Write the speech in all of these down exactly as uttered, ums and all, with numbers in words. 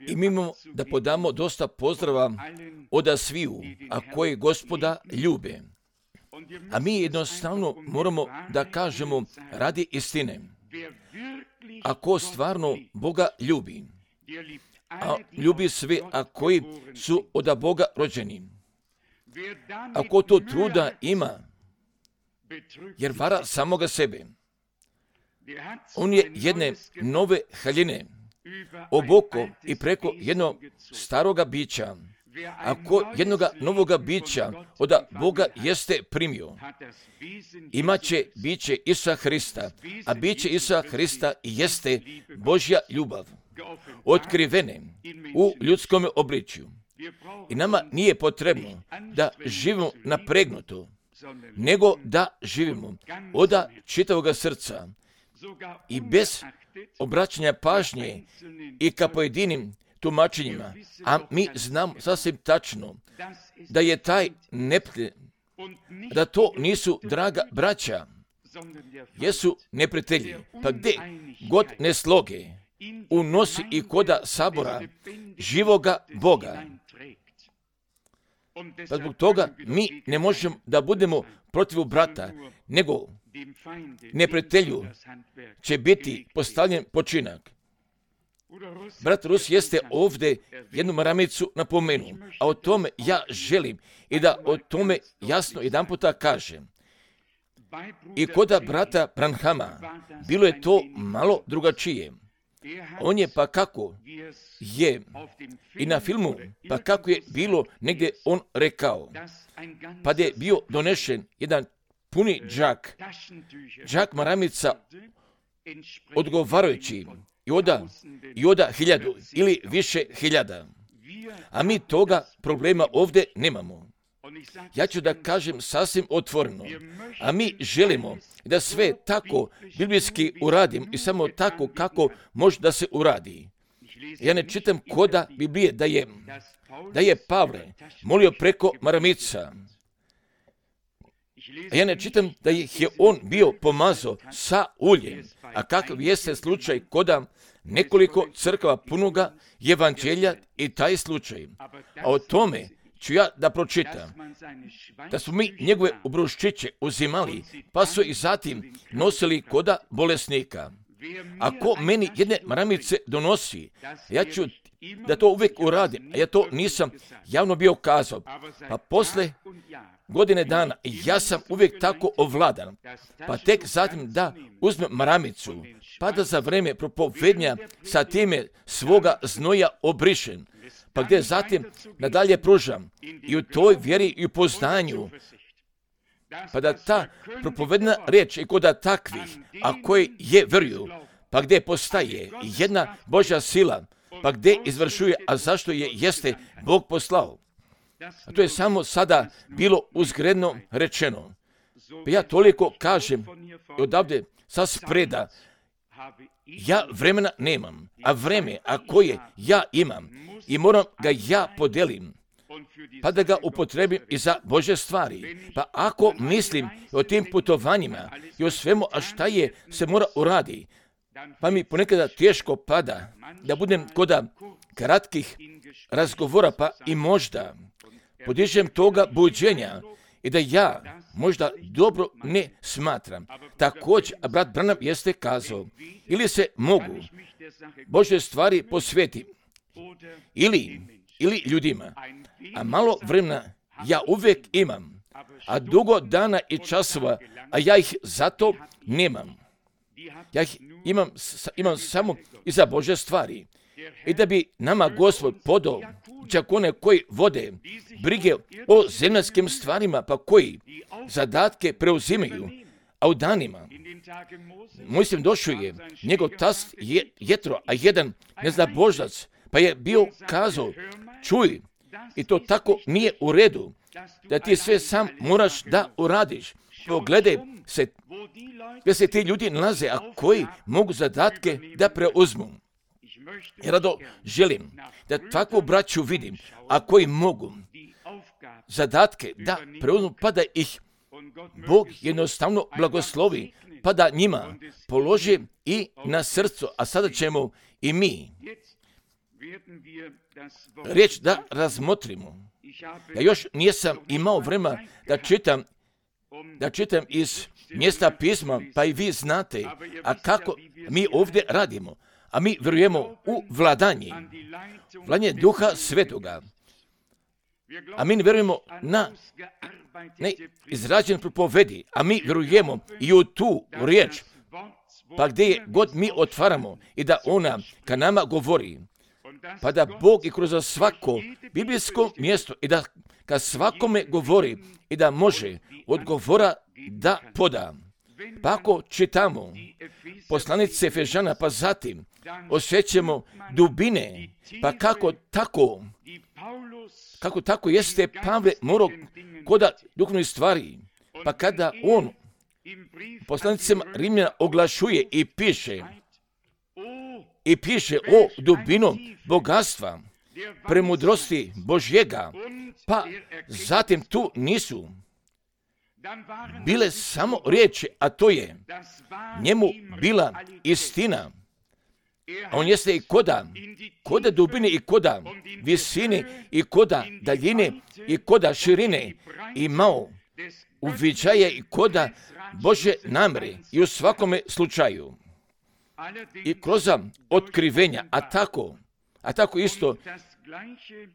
I mi imamo da podamo dosta pozdrava od sviju, a koji Gospoda ljube. A mi jednostavno moramo da kažemo radi istine. Ako stvarno Boga ljubi, a ljubi sve, a koji su od Boga rođeni. Ako to truda ima, jer vara samoga sebe. On je jedne nove haljine oboko i preko jednog staroga bića. Ako jednoga novoga bića od Boga jeste primio, imaće biće Isusa Hrista, a biće Isusa Hrista jeste Božja ljubav, otkrivene u ljudskom obličju. I nama nije potrebno da živimo napregnuto, nego da živimo od čitavoga srca i bez obraćanja pažnje i ka pojedinim tumačenjima, a mi znam sasvim tačno da je taj neprijatelj, da to nisu draga braća, jesu neprijatelji, pa gdje god ne sloge unosi i koda sabora živoga Boga. Pa zbog toga mi ne možemo da budemo protiv brata, nego neprijatelju će biti postavljen počinak. Brat Rus jeste ovdje jednu maramicu napomenuo, a o tome ja želim i da o tome jasno jedan puta kažem. I koda brata Branhama bilo je to malo drugačije. On je pa kako je i na filmu, pa kako je bilo negdje on rekao, pa da je bio donešen jedan puni džak, džak maramica odgovarajući i oda, i oda hiljadu ili više hiljada. A mi toga problema ovdje nemamo. Ja ću da kažem sasvim otvoreno, a mi želimo da sve tako biblijski uradim i samo tako kako može da se uradi. Ja ne čitam koda Biblije da je, da je Pavle molio preko maramica. Ja ne čitam da ih je on bio pomazao sa uljem, a kakav jeste slučaj koda nekoliko crkava punoga evanđelja i taj slučaj. A o tome ću ja da pročitam, da smo mi njegove obruščiće uzimali, pa su i zatim nosili koda bolesnika. Ako meni jedne maramice donosi, ja ću da to uvijek uradim, a ja to nisam javno bio kazao. Pa posle godine dana ja sam uvijek tako ovladan, pa tek zatim da uzmem maramicu, pa da za vreme propovednja sa time svoga znoja obrišem, pa gdje zatim nadalje pružam i u toj vjeri i u poznanju, pa da ta propovedna riječ i koda takvih, a koji je vjeruju, pa gdje postaje jedna Božja sila, pa gdje izvršuje, a zašto je jeste Bog poslao. A to je samo sada bilo uzgredno rečeno. Pa ja toliko kažem odavde sa spreda, ja vremena nemam, a vreme, a koje ja imam, i moram ga ja podelim, pa da ga upotrebim i za Božje stvari. Pa ako mislim o tim putovanjima i o svemu, a šta je se mora uradi, pa mi ponekada teško pada da budem koda kratkih razgovora, pa i možda podižem toga buđenja i da ja možda dobro ne smatram. Također, brat Branham jeste kazao, ili se mogu Božje stvari posveti, ili, ili ljudima, a malo vremena ja uvijek imam, a dugo dana i časova, a ja ih zato nemam. Ja ih imam, imam samo i za Božje stvari. I da bi nama Gospod podao čak one koji vode brige o zemaljskim stvarima, pa koji zadatke preuzimaju, a u danima, mislim, došao je njegov tast je, Jetro, a jedan neznabožac, pa je bio kazao, čuj, i to tako nije u redu, da ti sve sam moraš da uradiš. Pogledaj se, gdje se ti ljudi nalaze, a koji mogu zadatke da preuzmu. I rado želim da takvu braću vidim, a koji mogu zadatke da preuzmu, pa da ih Bog jednostavno blagoslovi, pa da njima položi i na srcu. A sada ćemo i mi riječ da razmotrimo. Ja još nisam imao vremena da čitam, da čitam iz mjesta pisma, pa i vi znate, a kako mi ovdje radimo. A mi vjerujemo u vladanje, vladanje Duha Svetoga. A mi vjerujemo na neizrađen propovedi, a mi vjerujemo i u tu riječ, pa gdje je god mi otvaramo i da ona ka nama govori, pa da Bog i kroz svako biblijsko mjesto i da ka svakome govori i da može odgovora da poda. Pa ako čitamo poslanice Efežana, pa zatim osjećamo dubine, pa kako tako, kako tako jeste Pavle morao koda duhovnih stvari, pa kada on poslanicima Rimljana oglašuje i piše, i piše o dubinom bogatstva, premudrosti Božjega, pa zatim tu nisu bile samo riječi, a to je njemu bila istina. A on jeste i koda, koda dubine i koda visine i koda daljine i koda širine imao uviđaje i koda Bože namere i u svakome slučaju. I kroz otkrivenja, a tako, a tako isto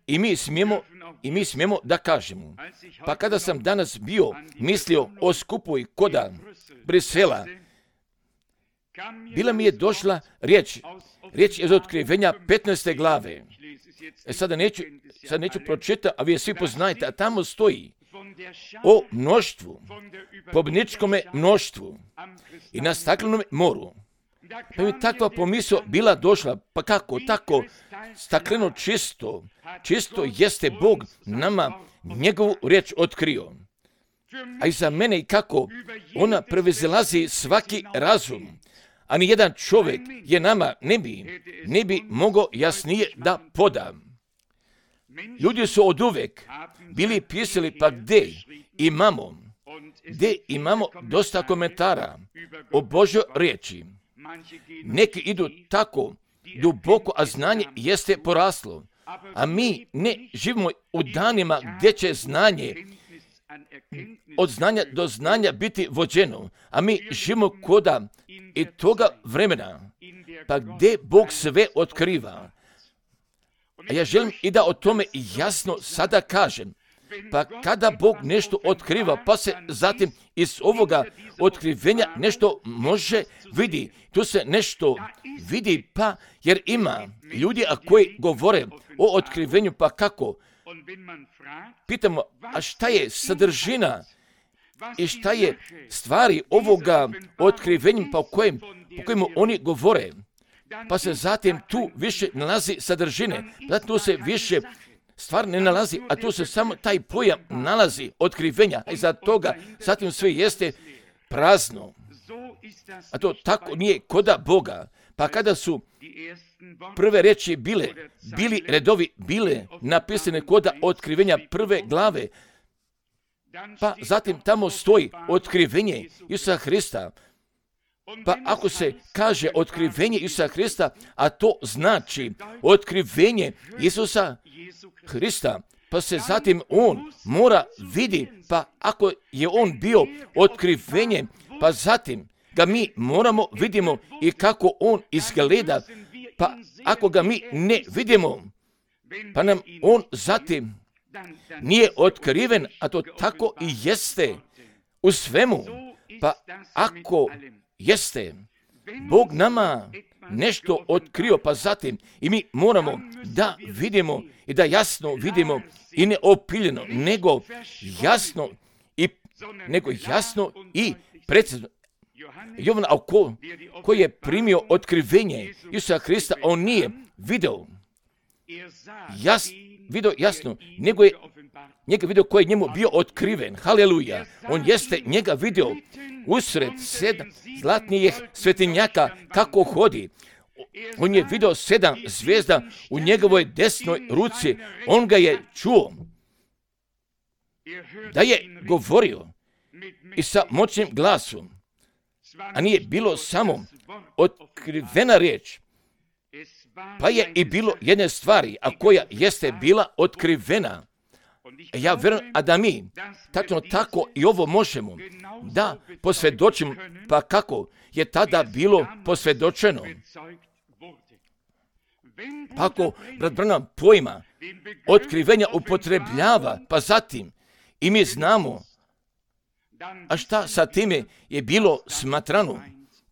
i mi smijemo, i mi smijemo da kažemo. Pa kada sam danas bio mislio o skupu i koda Brisela, bila mi je došla riječ, riječ iz otkrivenja petnaeste glave. E sada neću, sad neću pročitati, a vi je svi poznajete, a tamo stoji o mnoštvu, pobjedničkome mnoštvu i na staklenom moru. Pa mi takva pomisao bila došla, pa kako, tako, stakleno čisto, čisto jeste Bog nama njegovu riječ otkrio. A i za mene i kako ona prevezilazi svaki razum, a ni jedan čovjek je nama ne bi, ne bi mogao jasnije da poda. Ljudi su od uvek bili pisali, pa gdje imamo, gdje imamo dosta komentara o Božoj riječi. Neki idu tako duboko, a znanje jeste poraslo. A mi ne živimo u danima gdje će znanje od znanja do znanja biti vođeno. A mi živimo koda i toga vremena, pa gdje Bog sve otkriva. A ja želim i da o tome jasno sada kažem. Pa kada Bog nešto otkriva, pa se zatim iz ovoga otkrivenja nešto može vidi. Tu se nešto vidi, pa jer ima ljudi a koji govore o otkrivenju, pa kako? Pitamo, a šta je sadržina i šta je stvari ovoga otkrivenja po kojem, po kojemu oni govore? Pa se zatim tu više nalazi sadržine, zatim tu se više stvar ne nalazi, a tu se samo taj pojam nalazi otkrivenja, a iza toga zatim sve jeste prazno. A to tako nije koda Boga. Pa kada su prve riječi bile, bili redovi, bile napisane koda otkrivenja prve glave, pa zatim tamo stoji otkrivenje Isusa Hrista. Pa ako se kaže otkrivenje Isusa Hrista, a to znači otkrivenje Isusa Hrista, pa se zatim on mora vidi, pa ako je on bio otkrivenje, pa zatim ga mi moramo vidimo i kako on izgleda, pa ako ga mi ne vidimo, pa nam on zatim nije otkriven, a to tako i jeste u svemu. Pa ako jeste Bog nama nešto otkrio, pa zatim i mi moramo da vidimo i da jasno vidimo i ne opiljeno, nego jasno i, nego jasno i precizno. Jovan, a ko, ko je primio otkrivenje Isusa Hrista, on nije video, jas, video jasno, nego je njega video koji je njemu bio otkriven. Haleluja. On jeste njega video usred sedam zlatnijih svetinjaka kako hodi. On je video sedam zvijezda u njegovoj desnoj ruci. On ga je čuo da je govorio i sa moćnim glasom, a nije bilo samo otkrivena riječ, Pa je i bilo jedne stvari, a koja jeste bila otkrivena. Ja vjerujem, a da mi tačno tako i ovo možemo da posvjedočimo, pa kako je tada bilo posvjedočeno. Pa ako brat Branham pojma otkrivenja upotrebljava, pa zatim i mi znamo, a šta sa time je bilo smatrano,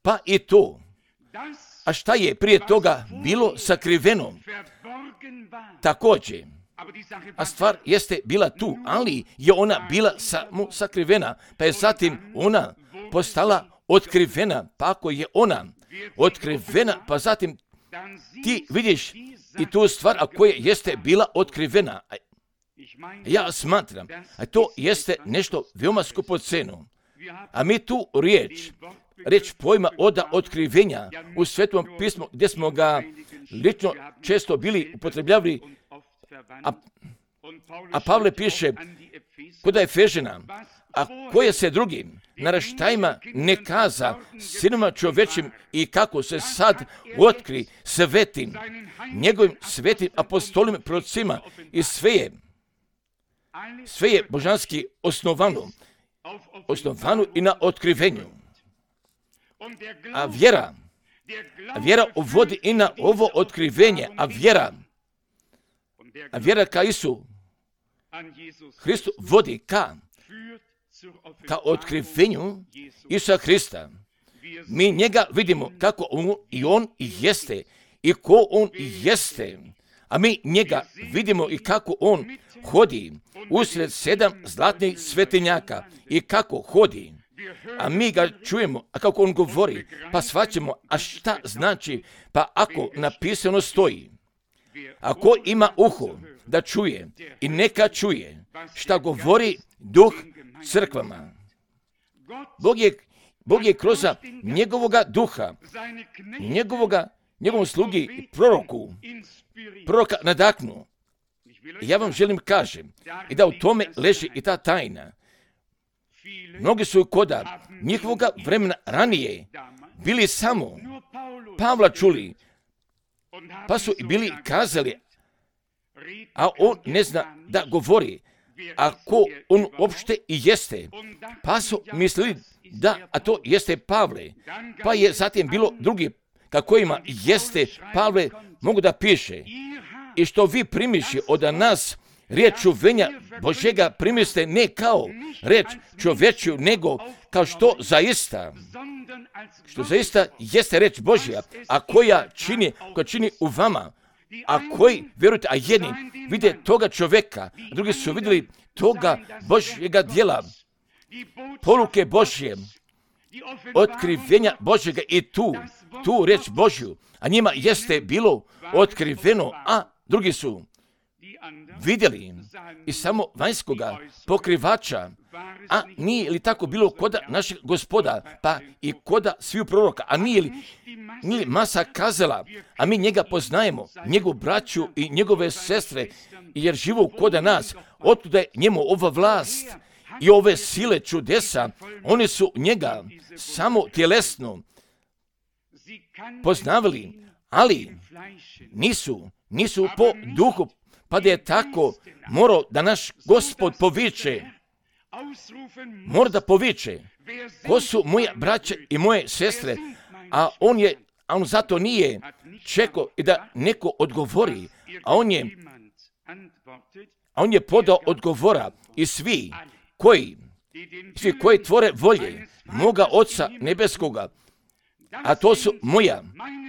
pa i to. A šta je prije toga bilo sakriveno? Također. A stvar jeste bila tu, ali je ona bila samo sakrivena, pa je zatim ona postala otkrivena, pa ako je ona otkrivena, pa zatim ti vidiš i tu stvar, a koja jeste bila otkrivena. Ja smatram, a to jeste nešto veoma skupoceno. A mi tu riječ, riječ pojma oda otkrivenja u Svetom pismu, gdje smo ga lično često bili upotrebljavali, a, a Pavle piše kod Efežana, a koje se drugim naraštajima ne kaza sinima čovečim i kako se sad otkri svetim, njegovim svetim apostolim prorocima i sve je, sve je božanski osnovano, osnovano i na otkrivenju. A vjera, a vjera uvodi i na ovo otkrivenje, a vjera, a vjera ka Isu Hristu vodi ka, ka otkrivenju Isusa Hrista. Mi njega vidimo kako on i on i jeste i ko on i jeste, a mi njega vidimo i kako on hodi usred sedam zlatnih svetinjaka i kako hodi. A mi ga čujemo, a kako on govori, pa shvaćamo, a šta znači, pa ako napisano stoji, ako ima uho da čuje i neka čuje šta govori duh crkvama. Bog je, Bog je kroz njegovoga duha, njegovoga, njegovom slugi i proroku, proroka nadahnuo. Ja vam želim kažem i da u tome leži i ta tajna. Mnogi su koda njihovoga vremena ranije bili samo Pavla čuli, pa su i bili kazali, a on ne zna da govori, a ko on uopšte i jeste, pa su mislili da, a to jeste Pavle, pa je zatim bilo drugi kako ima jeste Pavle mogu da piše. I što vi primiši od nas riječ čuvenja Božjega primiste ne kao riječ čovječju, nego kao što zaista, što zaista jeste riječ Božja, a koja čini, koja čini u vama, a koji, vjerujte, a jedni vide toga čovjeka, a drugi su vidjeli toga Božjega djela, poruke Božje, otkrivenja Božjega i tu, tu riječ Božju, a njima jeste bilo otkriveno, a drugi su vidjeli i samo vanjskoga pokrivača, a nije li tako bilo koda našeg Gospoda, pa i koda sviju proroka, a nije li, nije li masa kazala, a mi njega poznajemo, njegovu braću i njegove sestre, jer živu koda nas, otuda je njemu ova vlast i ove sile čudesa, oni su njega samo tjelesno poznavali, ali nisu, nisu po duhu, pa da je tako morao da naš Gospod poviče, mora da poviče, ko su moje braće i moje sestre, a on je, a on zato nije čekao i da neko odgovori, a on je, a on je podao odgovora i svi koji, svi koji tvore volje moga Oca nebeskoga, a to su moja,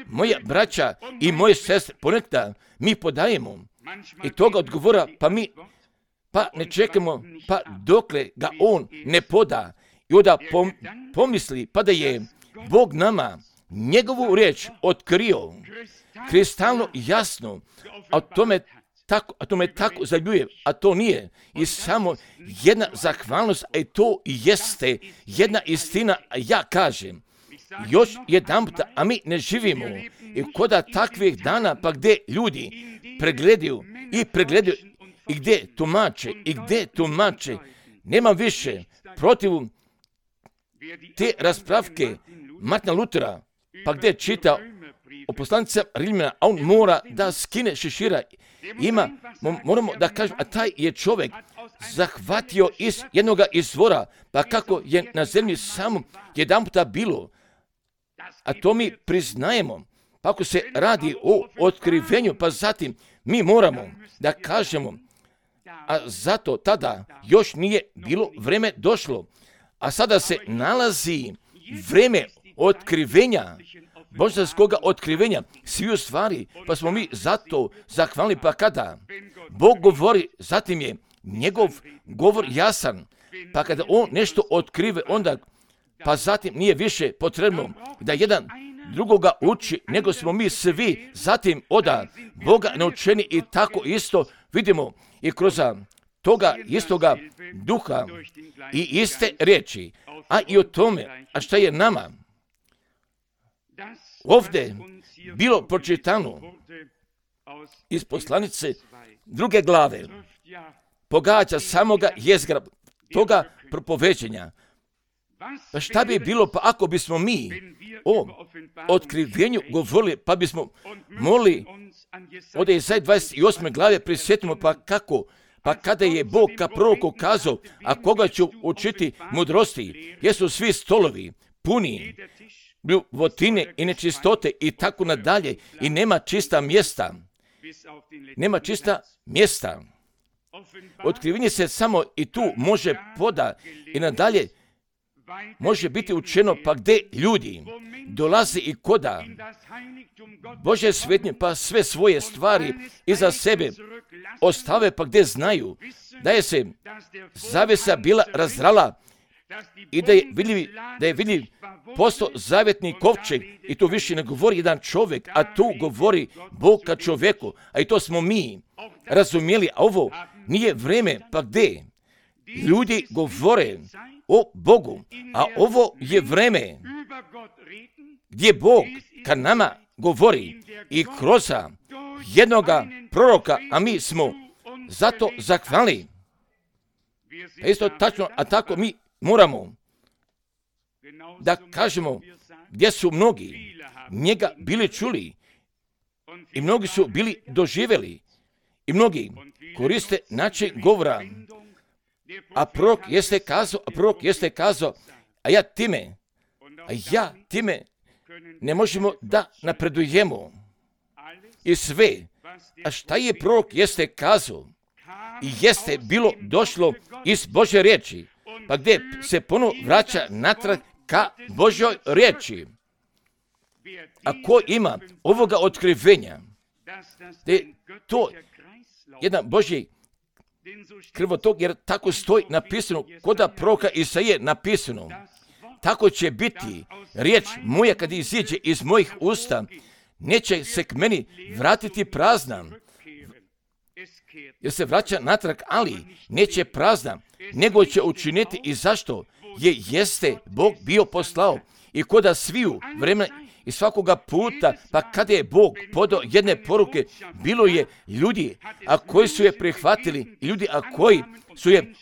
moja braća i moje sestre, ponekada mi podajemo i toga odgovora, pa mi pa ne čekamo, pa dokle ga on ne poda i onda pom, pomisli, pa da je Bog nama njegovu riječ otkrio, kristalno jasno, a tome tako, a tome tako zaljuje, a to nije. I samo jedna zahvalnost, a i to jeste jedna istina, a ja kažem, još jedan puta, a mi ne živimo i koda takvih dana, pa gdje ljudi pregledaju i pregledaju i gdje tumače i gdje tumače, nema više protiv te raspravke Martina Lutera, pa gdje čita o poslanica Rimljana, a on mora da skine šešira. Ima, moramo da kažemo, a taj je čovjek zahvatio iz jednoga izvora, pa kako je na zemlji samo jedan puta bilo, a to mi priznajemo. Pa ako se radi o otkrivenju, pa zatim mi moramo da kažemo, a zato tada još nije bilo vreme došlo, a sada se nalazi vreme otkrivenja, božanskoga otkrivenja, svi u stvari, pa smo mi zato zahvalni. Pa kada Bog govori, zatim je njegov govor jasan, pa kada on nešto otkrive, onda pa zatim nije više potrebno da jedan drugoga uči, nego smo mi svi zatim oda Boga naučeni i tako isto vidimo i kroz toga istoga duha i iste riječi, a i o tome, a šta je nama ovdje bilo pročitano iz poslanice druge glave, pogađa samoga jezgra toga propoveđenja. Pa šta bi bilo pa ako bismo mi o otkrivenju govorili, pa bismo molili od Jesaje dvadeset osme glave prisjetimo pa kako, pa kada je Bog ka proroku kazao, a koga ću učiti mudrosti, jesu svi stolovi puni bljuvotine i nečistote i tako nadalje i nema čista mjesta. Nema čista mjesta. Otkrivenje se samo i tu može poda i nadalje može biti učeno pa gdje ljudi dolaze i koda Bože svetnje pa sve svoje stvari iza sebe ostave pa gdje znaju da je se zavesa bila razrala i da je vidljiv, da je vidljiv postao zavjetni kovčeg i tu više ne govori jedan čovjek, a tu govori Bog ka čovjeku, a i to smo mi razumjeli, a ovo nije vrijeme pa gdje ljudi govore o Bogu, a ovo je vrijeme gdje Bog ka nama govori i kroz jednoga proroka, a mi smo zato zahvalni. A isto tačno, a tako mi moramo da kažemo gdje su mnogi njega bili čuli i mnogi su bili doživjeli i mnogi koriste način govora. A prorok jeste kazao, a prorok jeste kazao, a ja time, a ja time ne možemo da napredujemo. I sve, a šta je prorok jeste kazao, i jeste bilo došlo iz Božje riječi, pa gdje se ponovo vraća natrag ka Božjoj riječi. A ko ima ovoga otkrivenja, da je to jedan Božji krvotok, jer tako stoji napisano, koda proroka Isaije napisano, tako će biti riječ moja kad iziđe iz mojih usta, neće se k meni vratiti prazna, jer se vraća natrag, ali neće prazna, nego će učiniti i zašto je jeste Bog bio poslao i koda sviju vremena i svakoga puta, pa kada je Bog podao jedne poruke, bilo je ljudi, a koji su je prihvatili, ljudi, a koji su je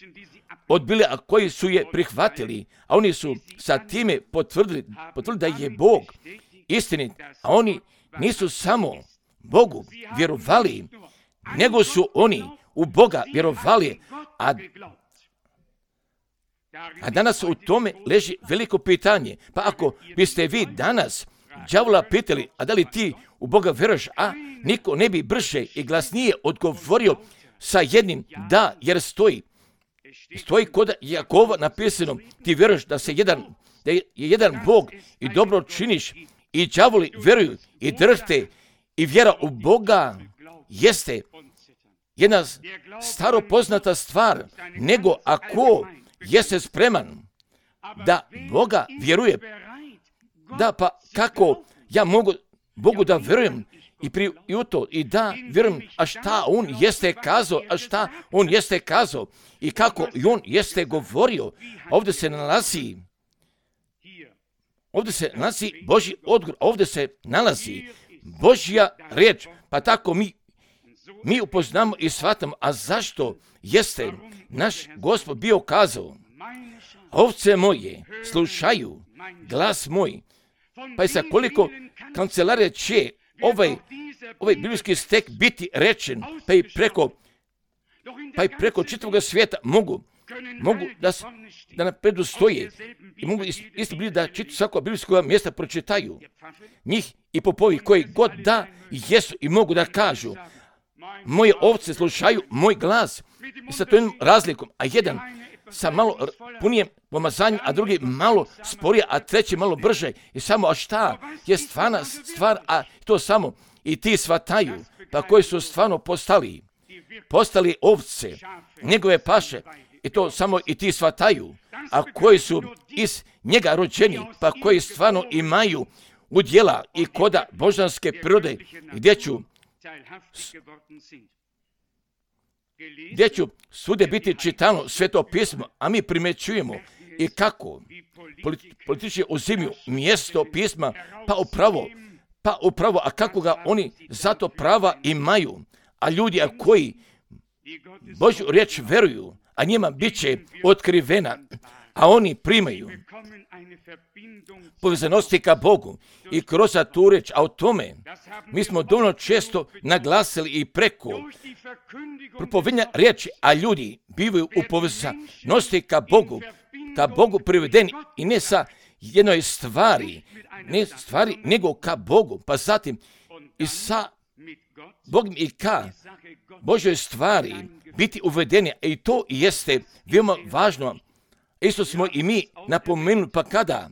odbili, a koji su je prihvatili, a oni su sa time potvrdili, potvrdili da je Bog istinit, a oni nisu samo Bogu vjerovali, nego su oni u Boga vjerovali, a A danas u tome leži veliko pitanje. Pa ako biste vi danas đavola pitali, a da li ti u Boga vjeruješ, a niko ne bi brže i glasnije odgovorio sa jednim da, jer stoji. Stoji kod Jakova napisano, ti vjeruješ da se jedan, da je jedan Bog i dobro činiš i đavoli vjeruju i drhte i vjera u Boga jeste jedna staro poznata stvar, nego ako jeste spreman da Boga vjeruje, da pa kako ja mogu Bogu da vjerujem i, pri, i u to i da vjerujem, a šta on jeste kazao, a šta on jeste kazao i kako i on jeste govorio, ovdje se nalazi ovdje se nalazi Božji odgovor, ovdje se nalazi Božja riječ, pa tako mi mi upoznamo i shvatamo, a zašto jeste naš Gospod bio kazao, ovce moje slušaju glas moj Pa i sa koliko kancelarija će ovaj, ovaj biblijski stek biti rečen, pa i preko, pa i preko čitavog svijeta mogu, mogu da, da napredu stoje i mogu isto biti da čitu svako biblijskog mjesta pročitaju. Njih i popovi koji god da jesu i mogu da kažu, moje ovce slušaju moj glas i sa tom razlikom, a jedan sa malo punijem pomazanjem, a drugi malo sporije, a treći malo brže. I samo, a šta je stvarna stvar, a to samo i ti shvataju, pa koji su stvarno postali, postali ovce, njegove paše, i to samo i ti shvataju, a koji su iz njega rođeni, pa koji stvarno imaju udjela i koda božanske prirode, gdje ću gdje ću svude biti čitano sveto pismo, a mi primećujemo i kako politički uzimaju mjesto pisma, pa upravo, pa upravo, a kako ga oni zato prava imaju, a ljudi a koji Božju riječ veruju, a njima bit će otkrivena, a oni primaju povezanosti ka Bogu i kroz tu reč, a o tome mi smo dovoljno često naglasili i preko propovedanja riječi, a ljudi bivaju u povezanosti ka Bogu, ka Bogu privedeni i ne sa jednoj stvari, ne stvari, nego ka Bogu, pa zatim i sa Bogom i ka Božoj stvari biti uvedeni, i to jeste veoma važno. Isto smo i mi napomenuli, pa kada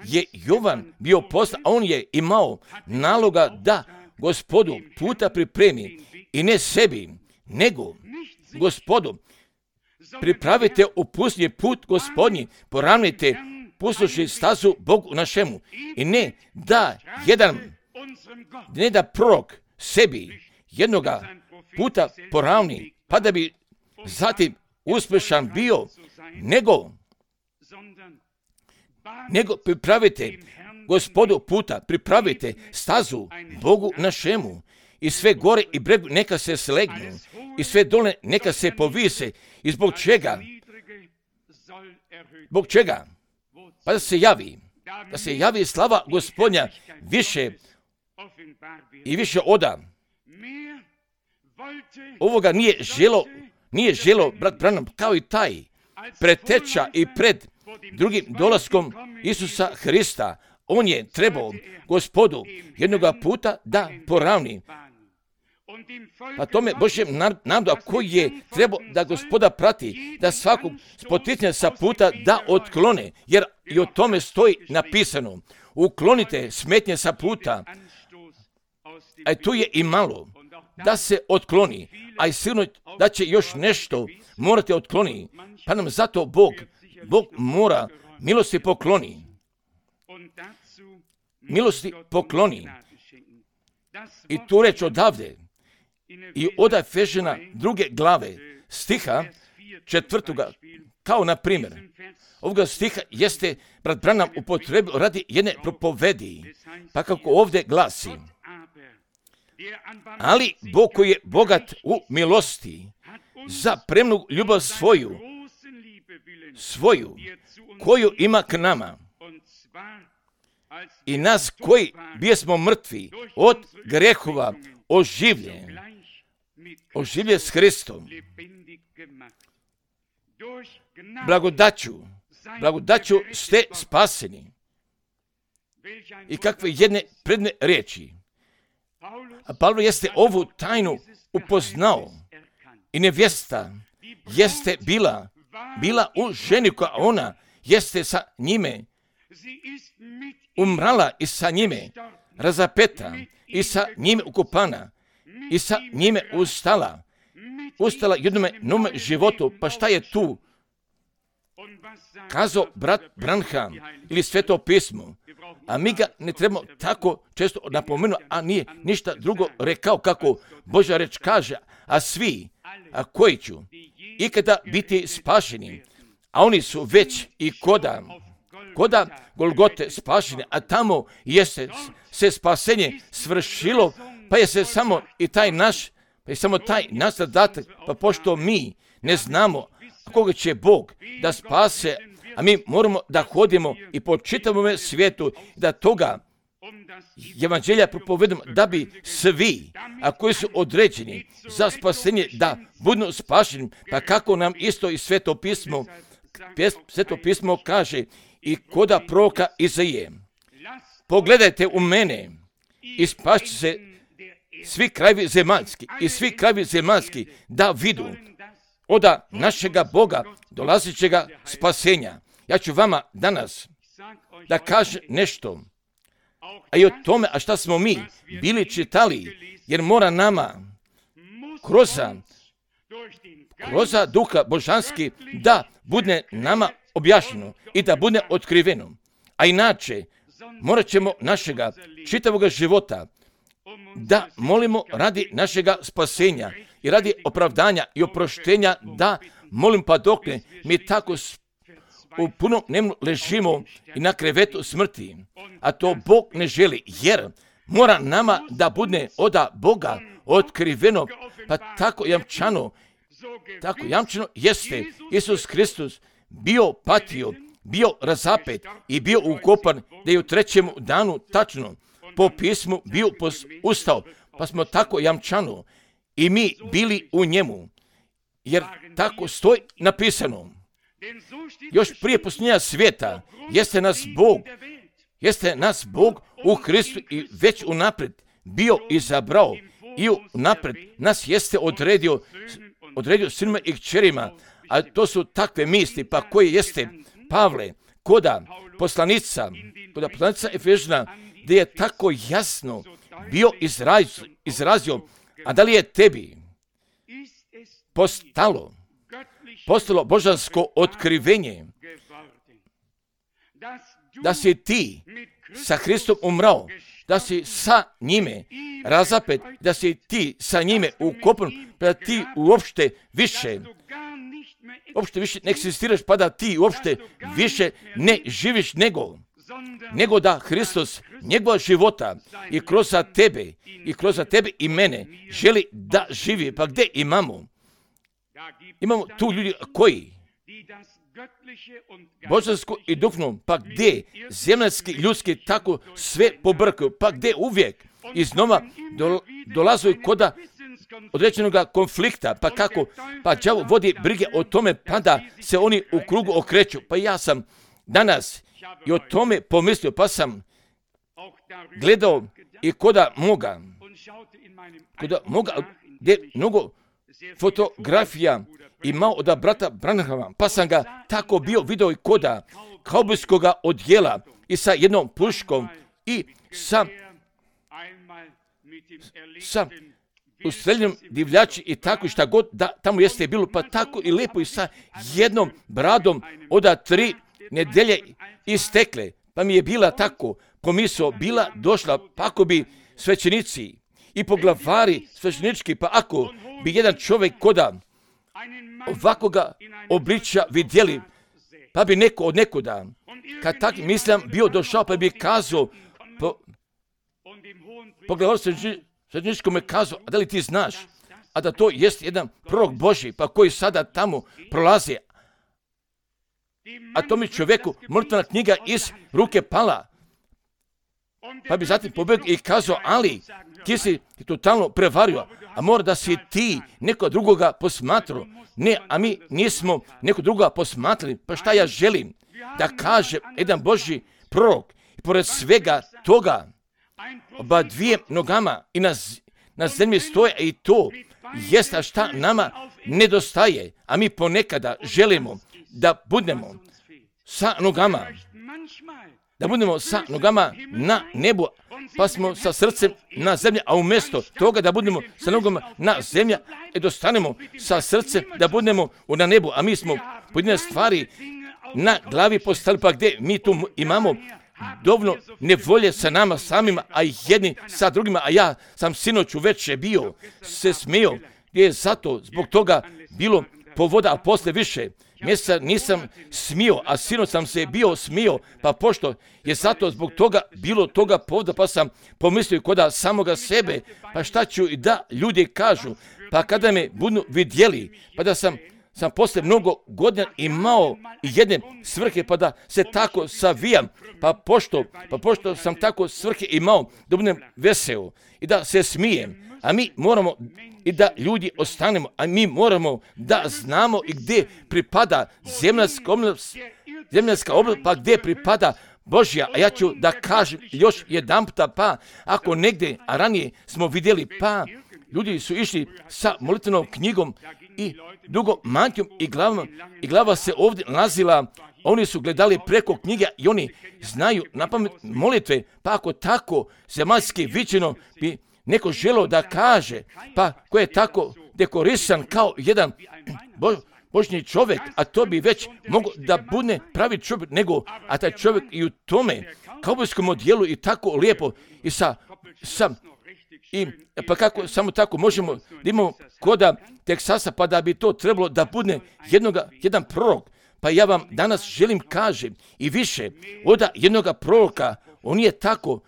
je Jovan bio poslan, a on je imao naloga da Gospodu puta pripremi i ne sebi, nego Gospodu pripravite u pusti put Gospodnji, poravnite pustoši stazu Bogu našemu, i ne da jedan, ne da prorok sebi jednoga puta poravni, pa da bi zatim uspješan bio, nego nego pripravite Gospodu puta, pripravite stazu Bogu našemu, i sve gore i bregu neka se slegnu, i sve dole neka se povise. I zbog čega? Zbog čega? Pa da se javi, da se javi slava Gospodnja više i više oda. Ovoga nije želo, nije želo brat Branham, kao i taj preteča i pred drugim dolaskom Isusa Hrista. On je trebao Gospodu jednoga puta da poravni. Pa tome Božjem narodu, a koji je trebao da Gospoda prati, da svakog spoticanja sa puta da otklone, jer i o tome stoji napisano. Uklonite smetnje sa puta, a tu je i malo da se otkloni, a i sigurno da će još nešto morate otkloniti, pa nam zato Bog, Bog mora milosti pokloni. Milosti pokloni. I tu reč odavde i od Efežana druge glave stiha četvrtoga, kao na primjer, ovoga stiha jeste brat Branham upotrebio radi jedne propovedi, pa kako ovdje glasi: ali Bog koji je bogat u milosti za premnu ljubav svoju, svoju, koju ima k nama, i nas koji bijesmo mrtvi od grehova oživljen, oživljen s Hristom, blagodaću, blagodaću ste spaseni. I kakve jedne predne riječi. A Pavlo jeste ovu tajnu upoznao, i nevjesta jeste bila, bila u ženi koja ona jeste sa njime umrala i sa njime razapeta i sa njime ukopana i sa njime ustala, ustala jednome nome životu. Pa šta je tu kazao brat Branham ili Sveto pismo? A mi ga ne trebamo tako često napomenuti, a nije ništa drugo rekao kako Božja reč kaže, a svi, a koji ću ikada biti spašeni, a oni su već i koda, koda Golgote spašeni, a tamo jeste se spasenje svršilo, pa je se samo i taj naš, pa je samo taj naš zadatak, pa pošto mi ne znamo koga će Bog da spase, a mi moramo da hodimo i po čitavom svijetu, da toga evanđelja propovedam da bi svi, a koji su određeni za spasenje, da budu spašeni, pa kako nam isto i Sveto pismo, Sveto pismo kaže i koda proroka Izaije. Pogledajte u mene i spašće se svi krajevi zemaljski i svi krajevi zemaljski da vidu oda našega Boga dolazećega spasenja. Ja ću vama danas da kažem nešto, a i o tome, a šta smo mi bili čitali, jer mora nama kroz, kroz duha božanski da bude nama objašnjeno i da bude otkriveno. A inače, morat ćemo našega čitavoga života da molimo radi našega spasenja i radi opravdanja i oproštenja, da molim pa dokle mi tako u punom nemu ležimo i na krevetu smrti, a to Bog ne želi, jer mora nama da bude oda Boga otkriveno, pa tako jamčano, tako jamčano jeste Isus Hristos bio patio, bio razapet i bio ukopan, da je u trećem danu tačno po pismu bio ustao, pa smo tako jamčano i mi bili u njemu, jer tako stoji napisano. Još prije posljednja svijeta jeste nas Bog, jeste nas Bog u Hristu i već unaprijed bio izabrao i unaprijed nas jeste odredio, odredio sinima i kćerima, a to su takve misli, pa koje jeste Pavle, koda poslanica, koda poslanica Efežana, gdje je tako jasno bio izraz, izrazio, a da li je tebi postalo, postalo božansko otkrivenje, da si ti sa Hristom umrao, da si sa njime razapet, da si ti sa njime ukopan, pa da ti uopšte više, uopšte više ne eksistiraš, pa da ti uopšte više ne živiš nego, nego da Hristos njegova života i kroz tebe, i kroz tebe i mene želi da živi. Pa gdje imamo? Imamo tu ljudi koji božansko i duhovno, pa gdje zemaljski, ljudski tako sve pobrkaju, pa gdje uvijek iznova dolaze koda određenog konflikta, pa kako, pa đavo vodi brige o tome, pa da se oni u krugu okreću. Pa ja sam danas i o tome pomislio, pa sam gledao i koda moga, koda moga, gdje mnogo fotografija imao od brata Branhama, pa sam ga tako bio video i koda kaubojskoga odjela i sa jednom puškom i sa, sa ustreljenom divljači i tako šta god da tamo jeste bilo, pa tako i lijepo i sa jednom bradom od tri nedelje istekle, pa mi je bila tako pomisao, bila došla, pa ako bi svećenici i poglavari svećenički, pa ako bi jedan čovjek koda ovakvoga obličja vidjeli, pa bi neko od nekuda, kad tak mislim bio došao, pa bi kazao, po, poglavar svećeničkome kazao, a da li ti znaš, a da to jest jedan prorok Božji, pa koji sada tamo prolazi, a to mi čovjeku mrtvena knjiga iz ruke pala, pa bi zatim pobjegao i kazao, ali ti si totalno prevario, a mora da si ti neko drugoga posmatrao. Ne, a mi nismo neko drugoga posmatrali. Pa šta ja želim da kaže jedan Božji prorok, i pored svega toga, oba dvije nogama i na, na zemlji stoje, i to jest, a šta nama nedostaje, a mi ponekada želimo da budemo sa nogama, da budemo sa nogama na nebu, pa smo sa srcem na zemlji, a umjesto toga da budemo sa nogama na zemlji, e dostanemo sa srcem da budemo na nebu, a mi smo pojedine stvari na glavi postavili, pa gdje mi tu imamo dovoljno nevolje sa nama samima, a jedni sa drugima, a ja sam sinoć uveče bio se smio, gdje je zato zbog toga bilo povoda, a posle više mjeseca nisam smio, a sinoć sam se bio smio, pa pošto je zato zbog toga bilo toga povoda, pa sam pomislio koda samoga sebe, pa šta ću i da ljudi kažu, pa kada me budu vidjeli, pa da sam sam posle mnogo godina imao jedne svrhe, pa da se tako savijam, pa pošto, pa pošto sam tako svrhe imao da budem veseo i da se smijem, a mi moramo i da ljudi ostanemo, a mi moramo da znamo i gdje pripada zemaljska oblast, zemaljska oblast, pa gdje pripada Božja. A ja ću da kažem još jedan puta, pa ako negdje, a ranije smo vidjeli, pa ljudi su išli sa molitvenom knjigom i dugo mantijom i glavom, i glava se ovdje nalazila, oni su gledali preko knjige i oni znaju napamet molitve, pa ako tako zemaljski viđeno bi neko želio da kaže, pa ko je tako dekorisan kao jedan bo, božni čovjek, a to bi već mogo da bude pravi čovjek, nego, a taj čovjek i u tome kaubojskom odjelu i tako lijepo i sa, sa i pa kako samo tako možemo da imamo koda Teksasa, pa da bi to trebalo da bude jednoga, jedan prorok. Pa ja vam danas želim kažem i više od jednoga proroka, on je tako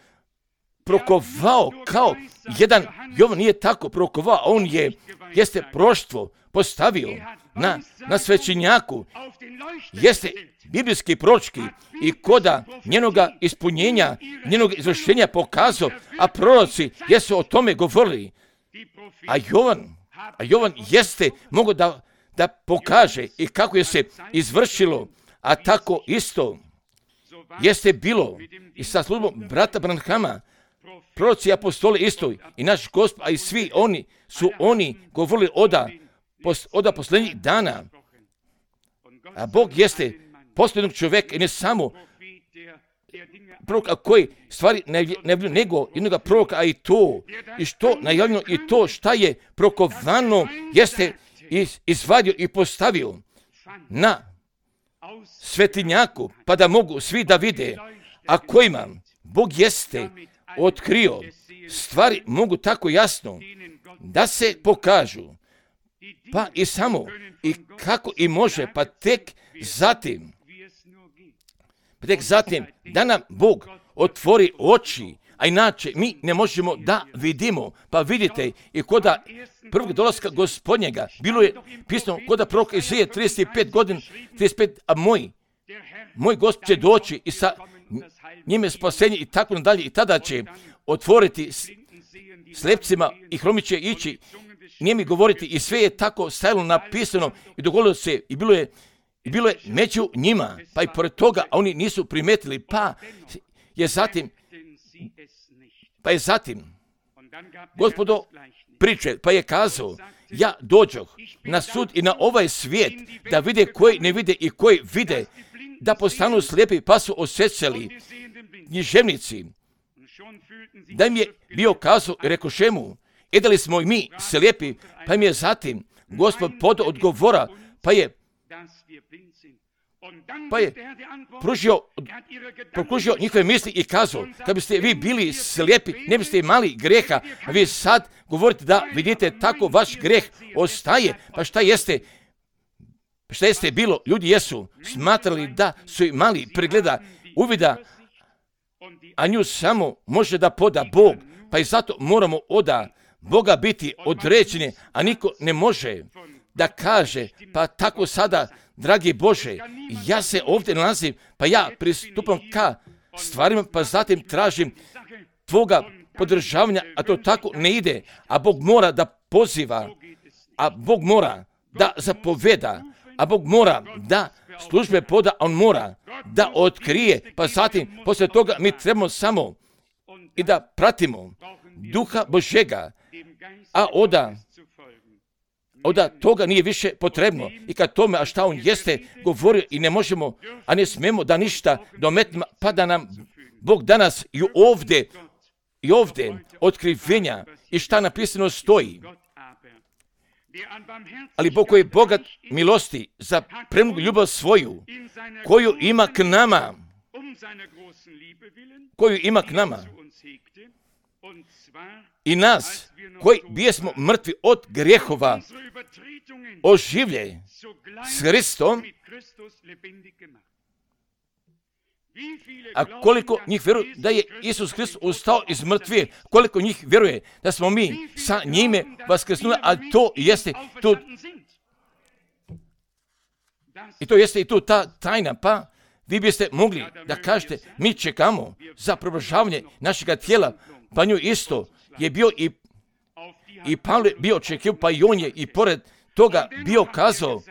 prokovao kao jedan, Jovan nije tako prokovao, on je, jeste proštvo postavio na, na svećenjaku, jeste biblijski proročki i koda njenoga ispunjenja, njenog izvršenja pokazao, a proroci jesu o tome govorili. A Jovan, a Jovan jeste mogo da, da pokaže i kako je se izvršilo, a tako isto jeste bilo i sa službom brata Branhama, proroci i apostoli isto i naš Gospod, a i svi oni su oni govorili oda, oda posljednjih dana. A Bog jeste posljednog čovjeka i ne samo proroka koji stvari najavljeno, nego jednog proroka, a i to, i što najavljeno, i to šta je prokovano, jeste izvadio i postavio na svetinjaku, pa da mogu svi da vide, a kojima Bog jeste otkrio, stvari mogu tako jasno da se pokažu, pa i samo, i kako i može, pa tek zatim, pa tek zatim da nam Bog otvori oči, a inače mi ne možemo da vidimo. Pa vidite, i koda prvog dolaska Gospodnjega, bilo je pisano koda proroka Izaije trideset pet godina, trideset pet, a moj, moj Gospod će doći i sa njime spasenje i tako nadalje, i tada će otvoriti slepcima i hromi će ići, njemi govoriti, i sve je tako stajalo napisano i dogodilo se i bilo je I bilo je među njima, pa i pored toga, a oni nisu primetili, pa je zatim, pa je zatim, Gospodo priče, pa je kazao, ja dođoh na sud i na ovaj svijet, da vide koji ne vide i koji vide, da postanu slijepi, pa su osjećali književnici, da im je bio kazao i rekoše mu, e da li smo i mi slijepi, pa im je zatim Gospod pod odgovora, pa je Pa je pružio, prokružio njihove misli i kazao, kad biste vi bili slijepi, ne biste imali greha, a vi sad govorite da vidite tako vaš greh ostaje, pa šta jeste, šta jeste bilo, ljudi jesu smatrali da su imali pregleda, uvida, a nju samo može da poda Bog, pa i zato moramo oda Boga biti određeni, a niko ne može da kaže, pa tako sada, dragi Bože, ja se ovdje nalazim, pa ja pristupam ka stvarima, pa zatim tražim tvoga podržavanja, a to tako ne ide, a Bog mora da poziva, a Bog mora da zapoveda, a Bog mora da službe poda, on mora da otkrije, pa zatim, poslije toga mi trebamo samo i da pratimo Duha Božega, a oda Onda toga nije više potrebno. I kad tome, a šta on jeste govorio i ne možemo, a ne smemo da ništa dometnemo, pa da nam Bog danas i ovdje, i ovdje otkrivenja i šta napisano stoji. Ali Bog koji je bogat milosti za premnogu ljubav svoju, koju ima k nama, koju ima k nama, i nas, koji bijesmo mrtvi od grehova, oživlje s Hristom, a koliko njih vjeruje da je Isus Hrist ustao iz mrtvije, koliko njih vjeruje da smo mi sa njime vaskrsnuli, a to jeste, to, I to jeste i tu ta tajna, pa vi biste mogli da kažete, mi čekamo za preobrazavanje našega tijela, pa nju isto je bio i, i Pavle bio očekio, pa i on je i pored toga bio kazao,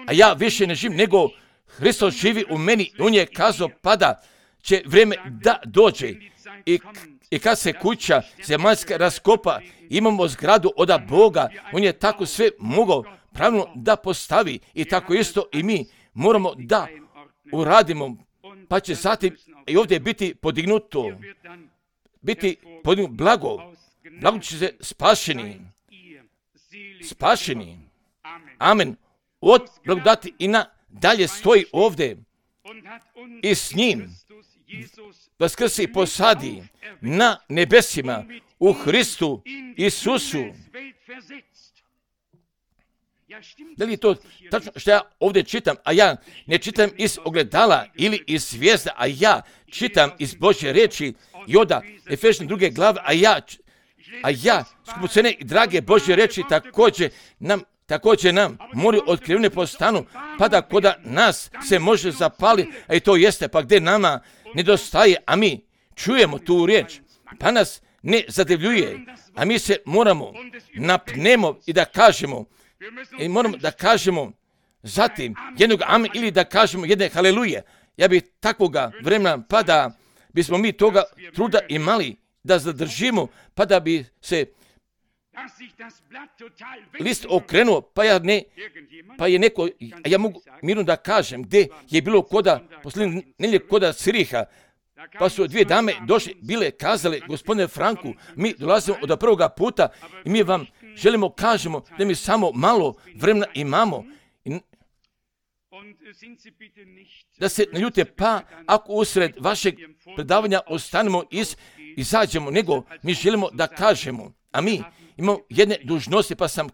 a ja više ne živim, nego Hristos živi u meni. On je kazao, pa da će vrijeme da dođe i, i kad se kuća zemaljska raskopa, imamo zgradu od Boga, on je tako sve mogao pravilno da postavi i tako isto i mi moramo da uradimo, pa će zatim i ovdje biti podignuto, biti podignuto blago, blago će se spašeni, spašeni, amen, od blagodati i na dalje stoji ovdje i s njim vaskrsi i posadi na nebesima u Hristu Isusu. Da li je to tačno što ja ovdje čitam, a ja ne čitam iz ogledala ili iz zvijezda, a ja čitam iz Božje riječi i onda Efežane druge glave, a ja, a ja skupocene i drage Božje riječi također nam Također nam moraju otkrivene postanu, pa da koda nas se može zapali, a i to jeste, pa gdje nama nedostaje, a mi čujemo tu riječ, pa nas ne zadivljuje, a mi se moramo napnemo i da kažemo, i moramo da kažemo zatim jednog amen ili da kažemo jedne haleluje. Ja bih takvoga vremena, pa da bismo mi toga truda imali, da zadržimo, pa da bi se list okrenuo, pa ja ne, pa je neko, a ja mogu mirno da kažem, gdje je bilo koda, posljednje nelje koda Ciriha, pa su dvije dame došle, bile kazale, gospodine Franku, mi dolazimo od prvoga puta i mi vam želimo kažemo da mi samo malo vremena imamo. I da se ne ljute, pa ako usred vašeg predavanja ostanemo iz, izađemo, nego mi želimo da kažemo, a mi imamo jedne dužnosti, pa sam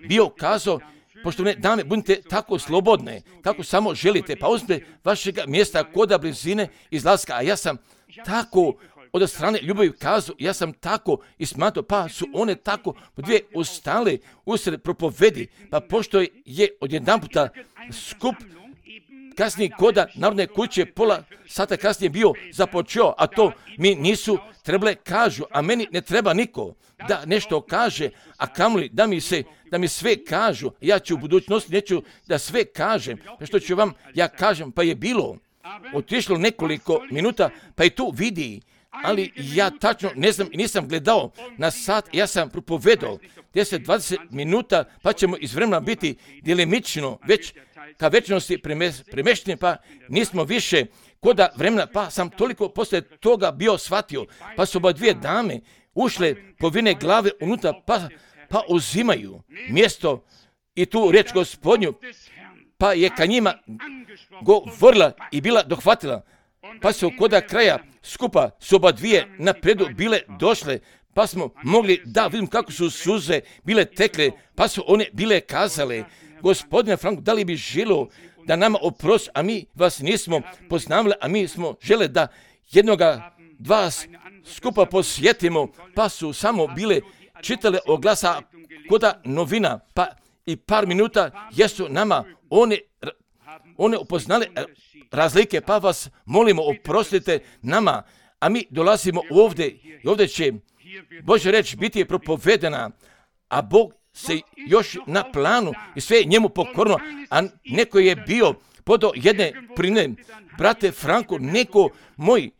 bio kazao, poštovane dame, budite tako slobodne, kako samo želite, pa uzmite vašeg mjesta koda blizine izlaska, a ja sam tako od strane ljubavi kazao, ja sam tako ismatao, pa su one tako dvije ustale usred propovedi, pa pošto je odjedan puta skup kasnije koda Narodne kuće pola sata kasnije bio započeo, a to mi nisu trebale kažu, a meni ne treba niko da nešto kaže, a kamoli da mi se, da mi sve kažu, ja ću u budućnosti neću da sve kažem, pa što ću vam ja kažem, pa je bilo otišlo nekoliko minuta, pa i tu vidi, ali ja tačno ne znam i nisam gledao na sat, ja sam propovedao deset do dvadeset minuta, pa ćemo iz vremena biti djelimično već ka večnosti premešteni, pa nismo više koda vremena, pa sam toliko poslije toga bio shvatio, pa su oba dvije dame ušle povine glave unutra, pa, pa uzimaju mjesto i tu riječ Gospodnju, pa je ka njima govorila i bila dohvatila, pa su koda kraja skupa su oba dvije napredu bile došle, pa smo mogli da vidim kako su suze bile tekle, pa su one bile kazale, Gospodine Franku, da li bi želio da nama oprosti, a mi vas nismo poznavali, a mi smo žele da jednoga dva skupa posjetimo, pa su samo bile čitale oglasa koda novina, pa i par minuta jesu nama one, one upoznale razlike, pa vas molimo oprostite nama, a mi dolazimo ovdje i ovdje će Božja reč biti propovedena, a Bog se još na planu i sve je njemu pokorno, a neko je bio podao jedne prine, brate Franku, neko moj,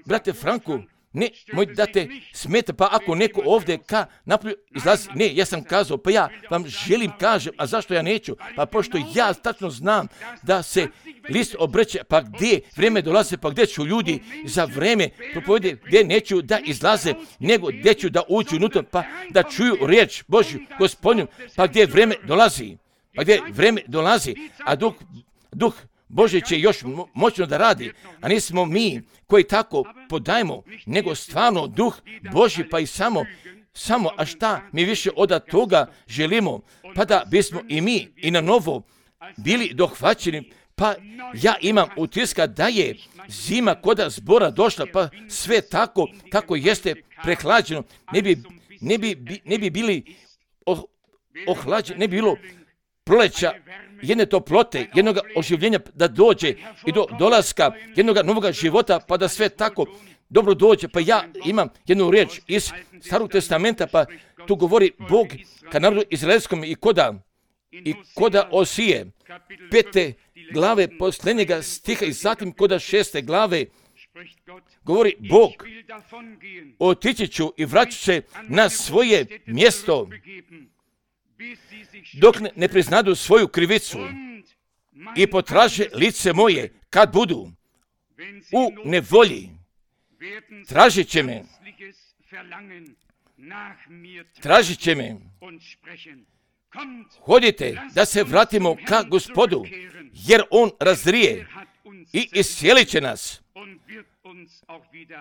brate Franku, ne, moj da te smeta, pa ako neko ovdje ka napolju izlazi, ne, ja sam kazao, pa ja vam želim kažem, a zašto ja neću? Pa pošto ja tačno znam da se list obreće, pa gdje vrijeme dolaze, pa gdje ću ljudi za vrijeme propovede, gdje neću da izlaze, nego gdje ću da uđu unutra, pa da čuju riječ Božju, Gospodnju, pa gdje vrijeme dolazi, pa gdje vrijeme dolazi, a duh, duh Bože će još moćno da radi, a nismo mi koji tako podajemo, nego stvarno duh Božji, pa i samo, samo, a šta mi više od toga želimo, pa da bismo i mi i na novo bili dohvaćeni, pa ja imam utiska da je zima koda zbora došla, pa sve tako kako jeste prehlađeno, ne bi, ne bi, ne bi bili oh, ohlađeni, ne bi bilo proleća, jedne toplote, jednog oživljenja da dođe i do dolaska jednog novog života, pa da sve tako dobro dođe. Pa ja imam jednu riječ iz Starog testamenta, pa tu govori Bog ka narodu izraelskom i koda, i koda Osije, pete glave posljednjega stiha i zatim koda šeste glave, govori Bog, otići ću i vraću se na svoje mjesto, dok ne, ne priznadu svoju krivicu i potraže lice moje kad budu u nevolji. Tražit će me, tražit će me. Hodite da se vratimo ka Gospodu, jer On razrije i iscijelit će nas.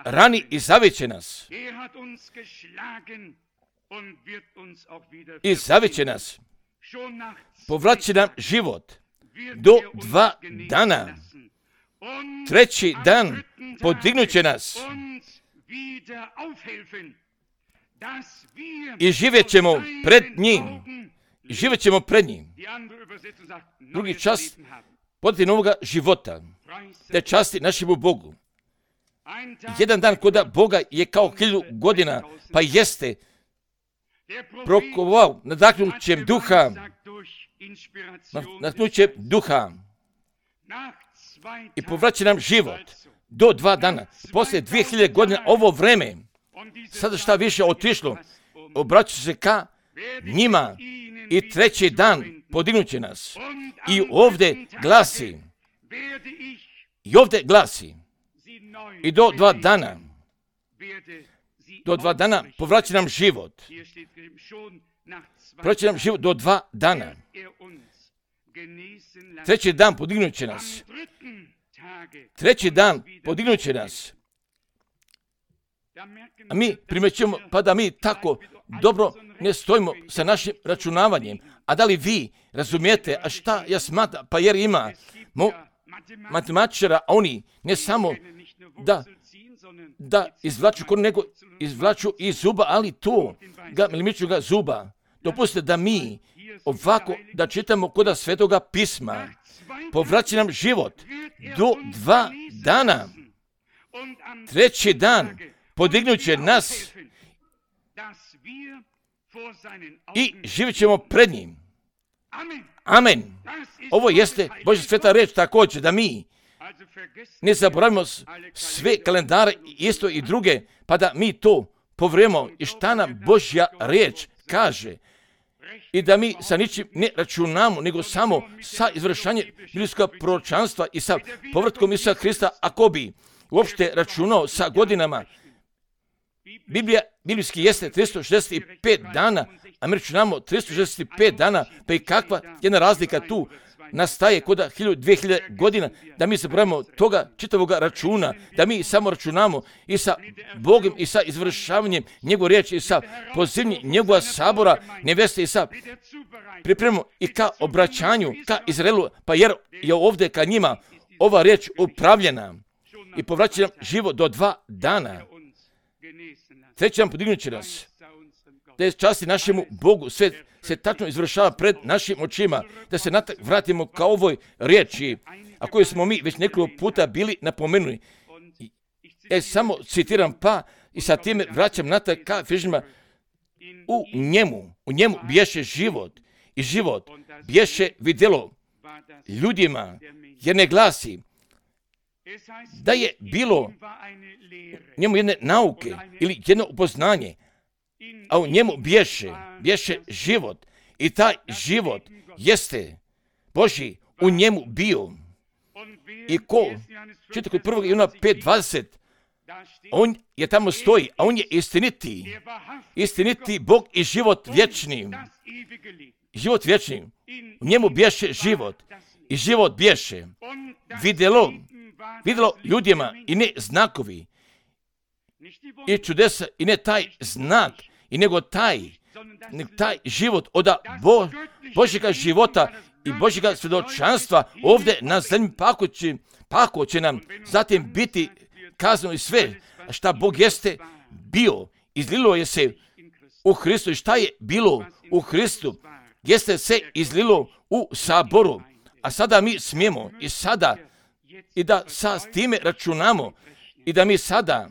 Rani i zavit će nas. I zavit će nas. Povratit nam život do dva dana. Treći dan podignut će nas. I živjet ćemo pred njim. I živjet ćemo pred njim. Drugi čast podati novoga života. Te časti našemu Bogu. Jedan dan koda Boga je kao hiljadu godina, pa jeste prokovao nadahnućem duha, nadahnućem duha i povraća nam život do dva dana. Poslije dvije hiljade godina ovo vreme, sada šta više otišlo, obraća se ka njima i treći dan podignut će nas. I ovdje glasi, i ovdje glasi, i do dva dana, do dva dana povraća nam život. Povraća nam život do dva dana. Treći dan podignut će nas. Treći dan podignut će nas. A mi primećujemo, pa da mi tako dobro ne stojimo sa našim računavanjem. A da li vi razumijete, a šta ja smatram, pa jer ima mo, matematičara, a oni ne samo da, da izvlaču koru, nego izvlaču i zuba, ali to, ga, milimiču ga zuba. Dopustite da mi ovako da čitamo koda Svetoga pisma. Povraća nam život do dva dana. Treći dan podignut će nas i živjet ćemo pred njim. Amen. Ovo jeste Božja sveta reč također, da mi ne zaboravimo sve kalendare, isto i druge, pa da mi to povremo i šta nam Božja reč kaže. I da mi sa ničim ne računamo, nego samo sa izvršanjem biblijskog proročanstva i sa povratkom Isusa Hrista, ako bi uopšte računao sa godinama. Biblija, biblijski jeste tristo šezdeset pet dana, a mi računamo tristo šezdeset pet dana, pa i kakva jedna razlika tu nastaje koda dvije hiljade godina, da mi zaboravimo toga čitavoga računa, da mi samo računamo i sa Bogom i sa izvršavanjem njegove riječi i sa pozivnjem njegova sabora neveste i sa pripremom i ka obraćanju, ka Izraelu, pa jer je ovdje ka njima ova riječ upravljena i povraća nam život do dva dana. Treći nam podignut će nas. Da je časti našemu Bogu, sve se tačno izvršava pred našim očima, da se natak vratimo ka ovoj riječi, a koju smo mi već nekoliko puta bili napomenuli. Ja samo citiram pa i sa time vraćam natak ka Efežanima. U njemu, u njemu bješe život i život bješe vidjelo ljudima, jer ne glasi da je bilo njemu jedne nauke ili jedno upoznanje, a u njemu bješe, bješe život i taj život jeste Božji u njemu bio. I ko, čita kod prvog Ivana pet dvadeset, on je tamo stoji, a on je istiniti, istiniti Bog i život vječni. Život vječni, u njemu bješe život i život bješe vidjelo, vidjelo ljudima i ne znakovi i čudesa i ne taj znak, i nego taj, nego taj život od Bo, Božjega života i Božjega svjedočanstva ovdje na zemlji pako će, pako će nam zatim biti kazano i sve šta Bog jeste bio. Izlilo je se u Hristu i šta je bilo u Hristu. jeste se izlilo u saboru, a sada mi smijemo i sada i da sa s time računamo i da mi sada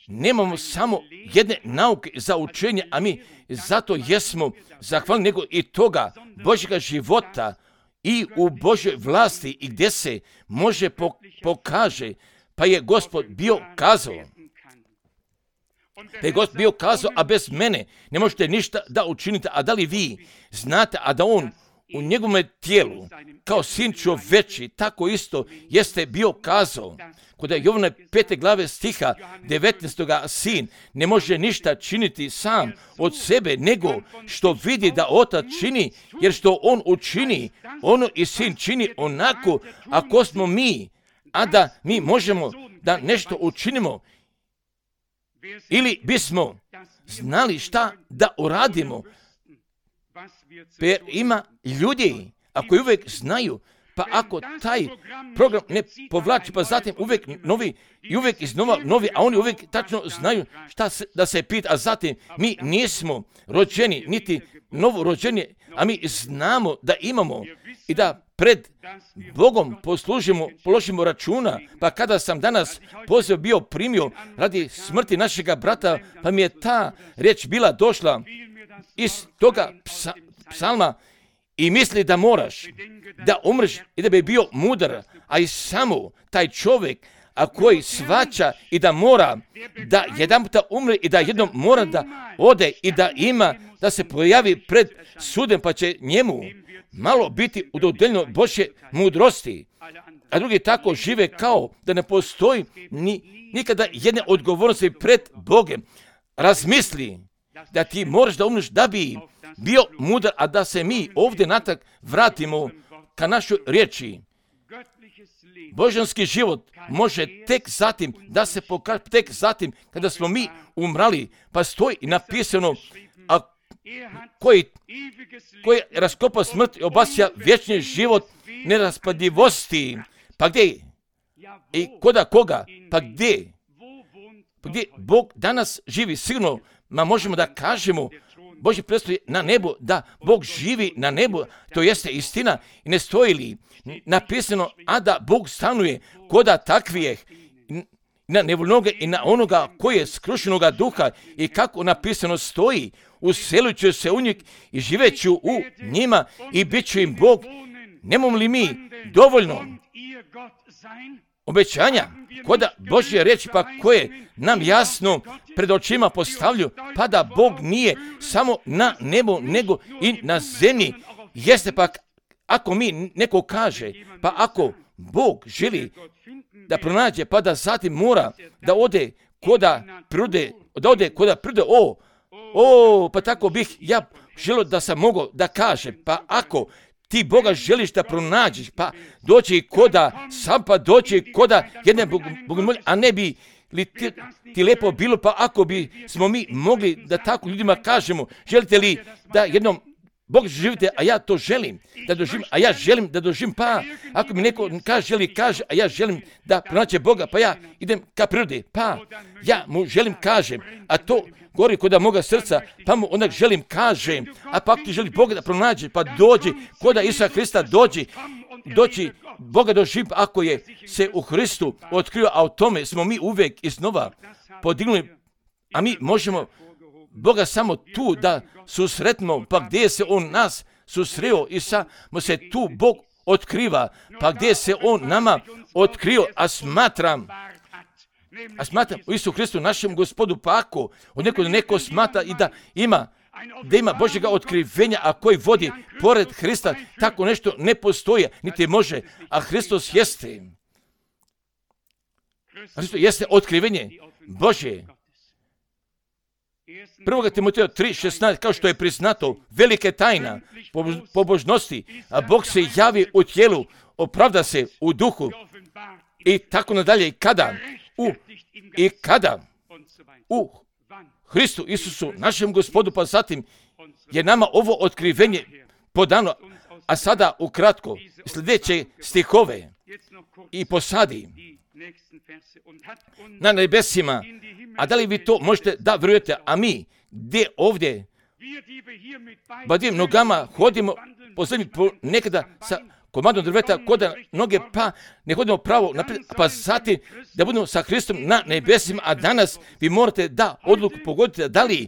nemamo samo jedne nauke za učenje, a mi zato jesmo zahvalni nego i toga Božjega života i u Božjoj vlasti i gdje se može pokaže, pa je Gospod bio kazao. Pa je Gospod bio kazao, a bez mene ne možete ništa da učinite, a da li vi znate, a da on u njegovom tijelu, kao sin čoveči, tako isto jeste bio kazao. Kod Jovana pete glave stiha devetnaestoga sin ne može ništa činiti sam od sebe, nego što vidi da otac čini, jer što on učini, ono i sin čini onako, ako smo mi, a da mi možemo da nešto učinimo, ili bismo znali šta da uradimo. Per ima ljudi, ako uvijek znaju, pa ako taj program ne povlači, pa zatim uvijek novi i uvijek iznova novi, a oni uvijek tačno znaju šta se, da se pita, a zatim mi nismo rođeni, niti novo rođeni, a mi znamo da imamo i da pred Bogom poslužimo, položimo računa. Pa kada sam danas poziv bio primio radi smrti našega brata, pa mi je ta riječ bila došla iz toga psa, psalma i misli da moraš da umreš i da bi bio mudar, a i samo taj čovjek a koji svaća i da mora da jedan puta umre i da jednom mora da ode i da ima, da se pojavi pred sudem, pa će njemu malo biti udodeljeno Božje mudrosti, a drugi tako žive kao da ne postoji ni, nikada jedne odgovornosti pred Bogom. Razmisli da ti moraš da umreš da bi bio mudar, a da se mi ovdje natrag vratimo ka našoj riječi. Božanski život može tek zatim da se pokaže, tek zatim kada smo mi umrali, pa stoji napisano, a koji, koji raskopa smrt i obasja vječni život neraspadljivosti. Pa gdje? I koda koga? Pa gdje? Pa gdje Bog danas živi? Sigurno, ma možemo da kažemo, Božji predstavlja na nebu, da Bog živi na nebu, to jeste istina. I ne stoji li napisano, a da Bog stanuje koda takvijeh, na nevoljnoga i na onoga koji je skrušenoga duha, i kako napisano stoji, uselit ću se u njih i živeću u njima i bit ću im Bog. Nemamo li mi dovoljno obećanja koda Božje reči, pa koje nam jasno pred očima postavljaju, pa da Bog nije samo na nebu, nego i na zemlji. Jeste pa ako mi neko kaže, pa ako Bog želi da pronađe, pa da zatim mora da ode koda prirode, da ode koda prirode, o, o, pa tako bih ja želio da sam mogao da kaže, pa ako ti Boga želiš da pronađeš, pa doći koda sam, pa doći koda jedne bogomolje, a ne bi li ti, ti lepo bilo, pa ako bi smo mi mogli da tako ljudima kažemo, želite li da jednom Bog živite, a ja to želim da doživim, a ja želim da doživim, pa ako mi neko kaže, želi, kaže, a ja želim da pronaće Boga, pa ja idem ka prirodi, pa ja mu želim, kažem, a to gori koda moga srca, pa mu onak želim, kažem, a pa ako ti želi Boga da pronađe, pa dođi, koda Isusa Hrista dođi, doći Boga doživim, ako je se u Hristu otkrio, a o tome smo mi uvijek iznova podignuli, a mi možemo Boga samo tu da susretimo, pa gdje se On nas susreo i samo se tu Bog otkriva, pa gdje se On nama otkrio, a smatram, a smatram u Isu Hristu našem Gospodu, pa ako od neko, neko smatra i da ima, da ima Božjega otkrivenja, a koji vodi pored Hrista, tako nešto ne postoji, niti može, a Hristos jeste. Hristos jeste otkrivenje Božje. Prvoga Timoteja tri šesnaest, kao što je priznato, velike tajna pobožnosti, a Bog se javi u tijelu, opravda se u duhu i tako nadalje. I kada? U, i kada? U Hristu Isusu, našem Gospodu, pa zatim je nama ovo otkrivenje podano, a sada ukratko sljedeće stihove i posadi na nebesima. A da li vi to možete da vjerujete, a mi gdje ovdje badivim nogama hodimo po zemlji nekada sa komadom drveta koda noge, pa ne hodimo pravo naprijed, pa zatim da budemo sa Hristom na nebesima, a danas vi morate da odluku pogodite da li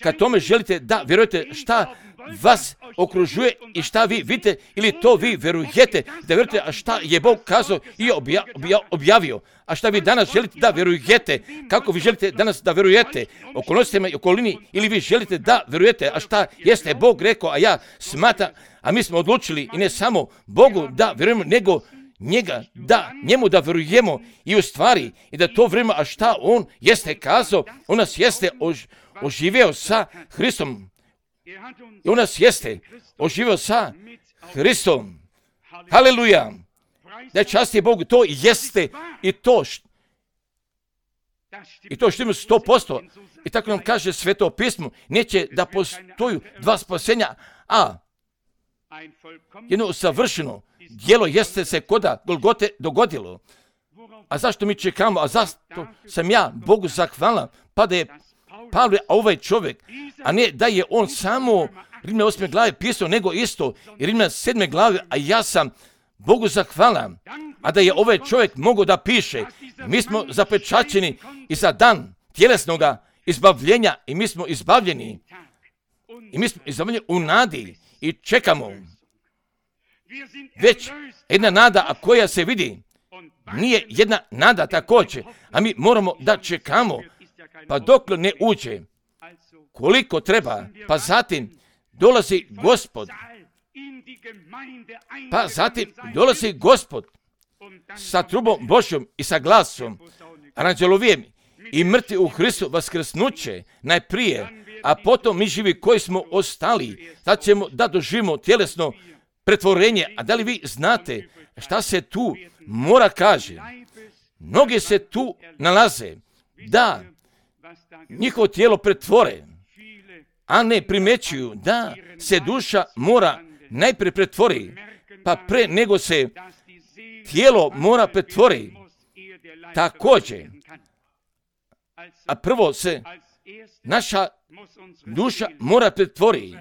kad tome želite da vjerujete šta vas okružuje i šta vi vidite, ili to vi vjerujete da vjerujete, a šta je Bog kazao i obja, obja, objavio, a šta vi danas želite da vjerujete, kako vi želite danas da vjerujete, okolnostima i okolini, ili vi želite da vjerujete, a šta jeste Bog rekao, a ja smatram, a mi smo odlučili i ne samo Bogu da vjerujemo, nego njega, da njemu da vjerujemo i u stvari i da to vrijeme, a šta on jeste kazao, on nas jeste ož, oživio sa Hristom. I on nas jeste oživio sa Hristom. Haleluja. Da časti Bogu, to jeste i to št, i to što ima sto posto. I tako nam kaže Sveto pismo, neće da postoju dva spasenja, a jedno savršeno djelo jeste se koda Golgote dogodilo. A zašto mi čekamo? A zašto sam ja Bogu zahvalan? Pa da je Pavle, a ovaj čovjek, a ne da je on samo Rimljana osme glave pisao, nego isto i Rimljana sedme glave, a ja sam Bogu zahvalan, a da je ovaj čovjek mogao da piše, mi smo zapečaćeni i za dan tjelesnoga izbavljenja i mi smo izbavljeni i mi smo izbavljeni u nadi i čekamo. Već jedna nada, a koja se vidi, nije jedna nada također, a mi moramo da čekamo, pa dok ne uđe koliko treba, pa zatim dolazi Gospod, pa zatim dolazi Gospod sa trubom Božjom i sa glasom, aranđelovijem i mrtvi u Hristu vaskrsnuće najprije, a potom mi živi koji smo ostali, da ćemo da doživimo tjelesno pretvorenje. A da li vi znate šta se tu mora kaže? Mnogi se tu nalaze da njihovo tijelo pretvore, a ne primećuju da se duša mora najprije pretvori, pa pre nego se tijelo mora pretvori također. A prvo se naša duša mora pretvori.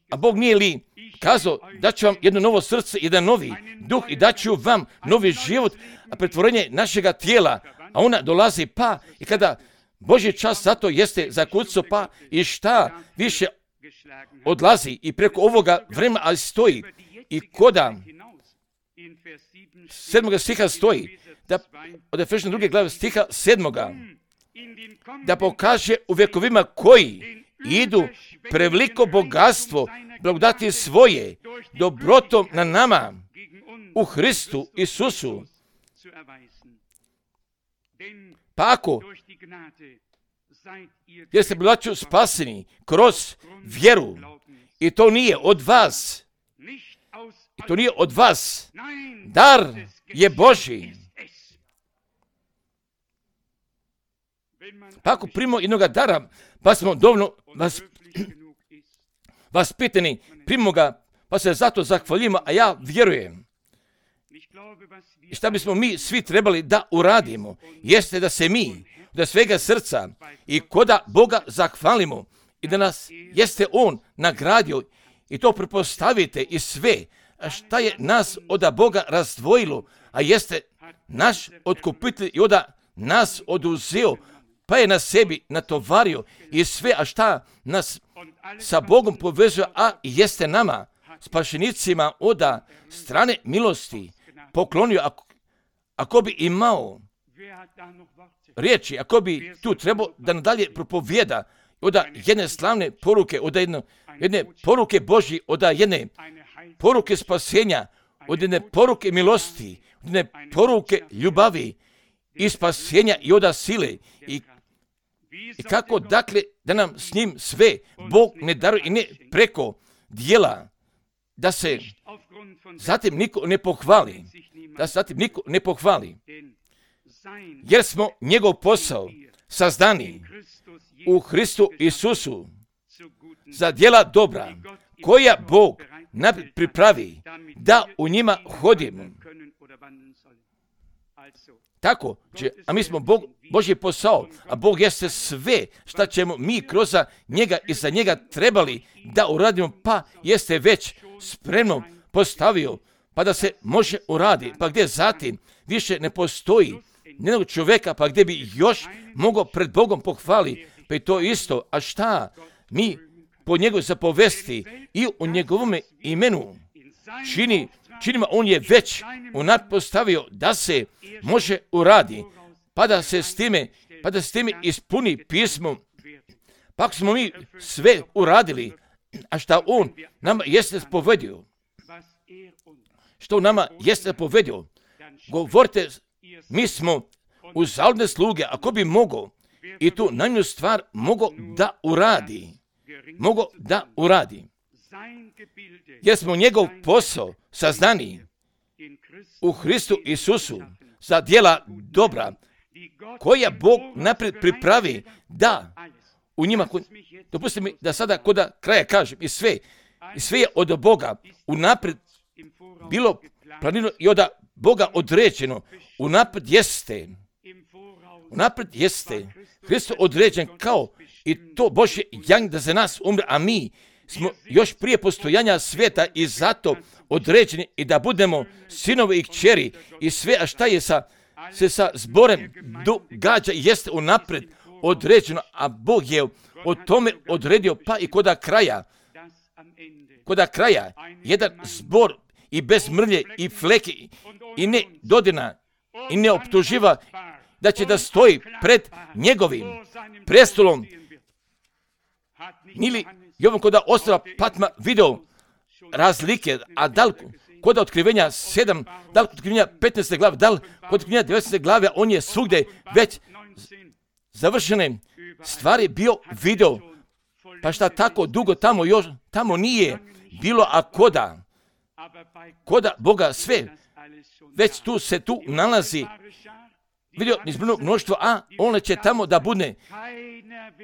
A Bog nije li kazao da će vam jedno novo srce, jedan novi duh i da ću vam novi život, a pretvorenje našega tijela, a ona dolazi pa i kada Božji čas zato jeste zakucao pa i šta više odlazi i preko ovoga vremena, ali stoji i koda sedmoga stiha stoji, da od Efešana druge glave stiha sedmoga, da pokaže u vjekovima koji idu preveliko bogatstvo blagodati svoje dobrotom na nama u Hristu Isusu. Pa ako jer ste braćo spaseni kroz vjeru i to nije od vas, i to nije od vas, dar je Božji. Pa ako primimo jednoga dara, pa smo dovoljno vas, vaspitani, primimo ga, pa se zato zahvaljujemo, a ja vjerujem. I šta bismo mi svi trebali da uradimo, jeste da se mi, da svega srca i koda Boga zahvalimo i da nas jeste On nagradio i to prepostavite i sve, a šta je nas od Boga razdvojilo, a jeste naš otkupitelj i oda nas oduzeo, pa je na sebi natovario i sve, a šta nas sa Bogom povezuje, a jeste nama, spašenicima oda strane milosti, poklonio, ako, ako bi imao riječi, ako bi tu trebao da nadalje propovijeda od jedne slavne poruke, od jedne, jedne poruke Božji, od jedne poruke spasenja, od jedne poruke milosti, od jedne poruke ljubavi i spasenja i od sile i, i kako dakle da nam s njim sve Bog ne daruje i ne preko dijela, da se zatim niko ne pohvali, da se zatim niko ne pohvali, jer smo njegov posao sazdani u Hristu Isusu za djela dobra, koja Bog naprijed pripravi da u njima hodimo. Tako će, a mi smo Bog, Božji posao, a Bog jeste sve šta ćemo mi kroz njega i za njega trebali da uradimo, pa jeste već spremno postavio, pa da se može uradi, pa gdje zatim više ne postoji nijednog čovjeka, pa gdje bi još mogao pred Bogom pohvali, pa i to isto, a šta mi po njegovoj zapovesti i u njegovome imenu čini, činima, on je već unaprijed postavio da se može uradi, pa da se s time, pa da s time ispuni pismo, pa ako smo mi sve uradili, a šta on nama jeste spovedio, što nama jeste povedio, govorite, mi smo uzaludne sluge, ako bi mogao i tu najmanju stvar mogao da uradi, mogao da uradi, jer smo njegov posao saznani u Hristu Isusu za djela dobra, koja Bog naprijed pripravi da u njima, dopustite mi da sada kod kraja kažem, i sve, i sve je od Boga unaprijed bilo planirano i od Boga određeno, unaprijed jeste, unaprijed jeste, Hristos određen kao i to Božje janje da za nas umre, a mi smo još prije postojanja svijeta i zato određeni i da budemo sinovi i kćeri i sve, a šta je sa, se sa zborem događa jeste unaprijed određeno, a Bog je o tome odredio, pa i koda kraja, koda kraja, jedan zbor i bez mrlje i fleke i ne dodina i ne optuživa da će da stoji pred njegovim prestolom. Nili Jovan koda ostala Patma video razlike, a da li kod otkrivenja sedam, da li kod otkrivenja petnaeste glave, da li kod otkrivenja devetnaeste glave, on je svugdje već završene stvari bio video, pa šta tako dugo tamo još, tamo nije bilo, a koda, koda Boga sve, već tu se tu nalazi, vidio izbrano mnoštvo, a on će tamo da budne,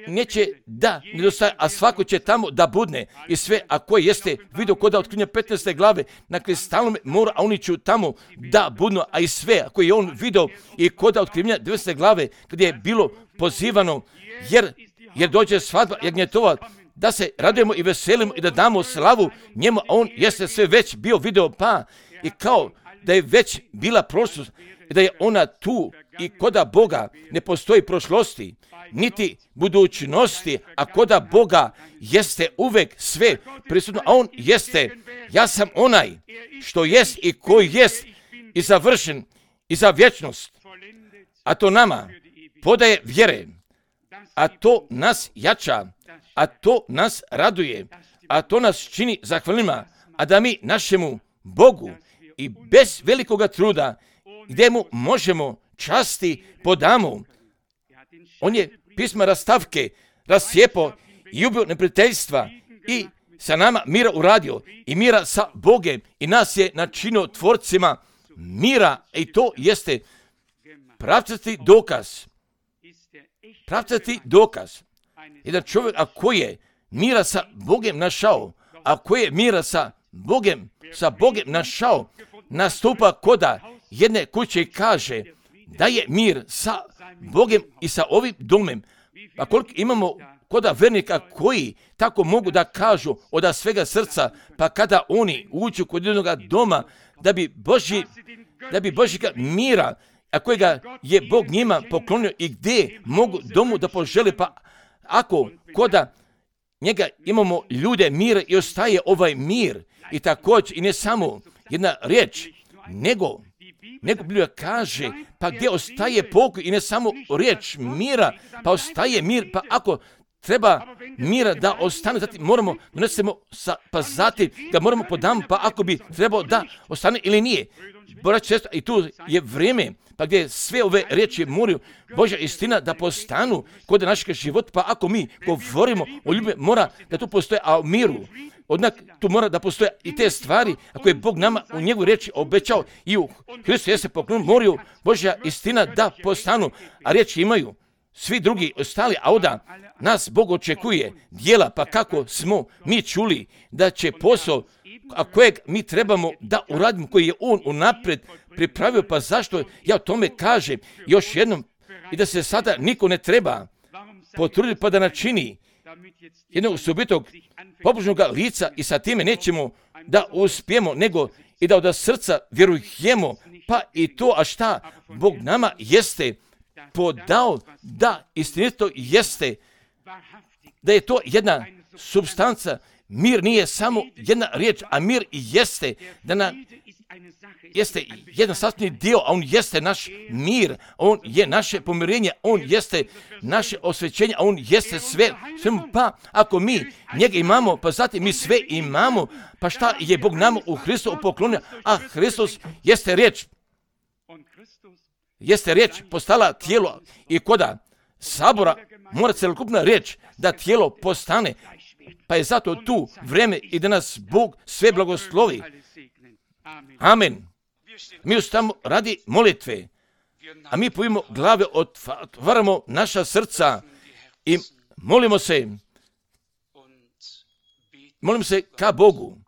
neće da nedostaje, a svako će tamo da budne i sve, a koje jeste vidio koda otkrivenja petnaeste glave na kristalnom moru, a oni će tamo da budnu, a i sve, a koje je on vidio i koda otkrivenja devetnaeste glave, gdje je bilo pozivano, jer, jer dođe svadba jagnjetova, da se radujemo i veselimo i da damo slavu njemu, a on jeste sve već bio video, pa i kao da je već bila prošlost, da je ona tu i koda Boga ne postoji prošlosti, niti budućnosti, a koda Boga jeste uvek sve prisutno, a on jeste, ja sam onaj što jest i koji jest i završen i za vječnost, a to nama podaje vjere, a to nas jača, a to nas raduje, a to nas čini zahvalnima, a da mi našemu Bogu i bez velikoga truda, gdje mu možemo časti podamo. On je pisma rastavke rascijepo i ubio neprijateljstva i sa nama mira uradio i mira sa Bogem i nas je načinio tvorcima mira i to jeste pravcati dokaz. Pravcati dokaz. Jedan čovjek ako je mira sa Bogem našao, ako je mira sa Bogem, sa Bogem našao, nastupa koda jedne kuće i kaže da je mir sa Bogem i sa ovim domem. A koliko imamo koda vernika koji tako mogu da kažu od svega srca, pa kada oni uđu kod jednog doma da bi Božji, da bi Božjega mira, a kojega je Bog njima poklonio i gdje mogu domu da požele, pa ako koda njega imamo ljude mira i ostaje ovaj mir i također i ne samo jedna riječ, nego nego Biblija kaže, pa gdje ostaje pokoj i ne samo riječ mira, pa ostaje mir, pa ako treba mira da ostane, zatim moramo donesemo, sa, pa zatim ga moramo podam, pa ako bi trebao da ostane ili nije. Braće, i tu je vrijeme, pa gdje sve ove riječi moraju Božja istina da postanu kod našeg života, pa ako mi govorimo o ljubavi, mora da tu postoje, a o miru, odnak tu mora da postoje i te stvari, ako je Bog nama u njegovoj riječi obećao i u Hristu jeste poklon, moraju Božja istina da postanu, a riječi imaju svi drugi ostali, a onda nas Bog očekuje djela, pa kako smo mi čuli da će posao, a kojeg mi trebamo da uradimo, koji je on unaprijed pripravio, pa zašto ja o tome kažem još jednom i da se sada niko ne treba potruditi pa da načini jednog osobitog pobožnog lica i sa time nećemo da uspijemo, nego i da od srca vjerujemo, pa i to, a šta Bog nama jeste podao, da istinito jeste, da je to jedna supstanca. Mir nije samo jedna riječ, a mir jeste da na, jeste jedan sastavni dio, a on jeste naš mir, on je naše pomirenje, on jeste naše osvećenje, a on jeste sve, svemu. Pa ako mi njega imamo, pa zatim mi sve imamo, pa šta je Bog nama u Hristu poklonio, a Hristos jeste riječ, jeste riječ postala tijelo i koda sabora mora celokupna riječ da tijelo postane. Pa je zato tu vreme i da nas Bog sve blagoslovi. Amen. Mi ostamo radi molitve, a mi pojimo glave, otvaramo naša srca i molimo se, molimo se ka Bogu.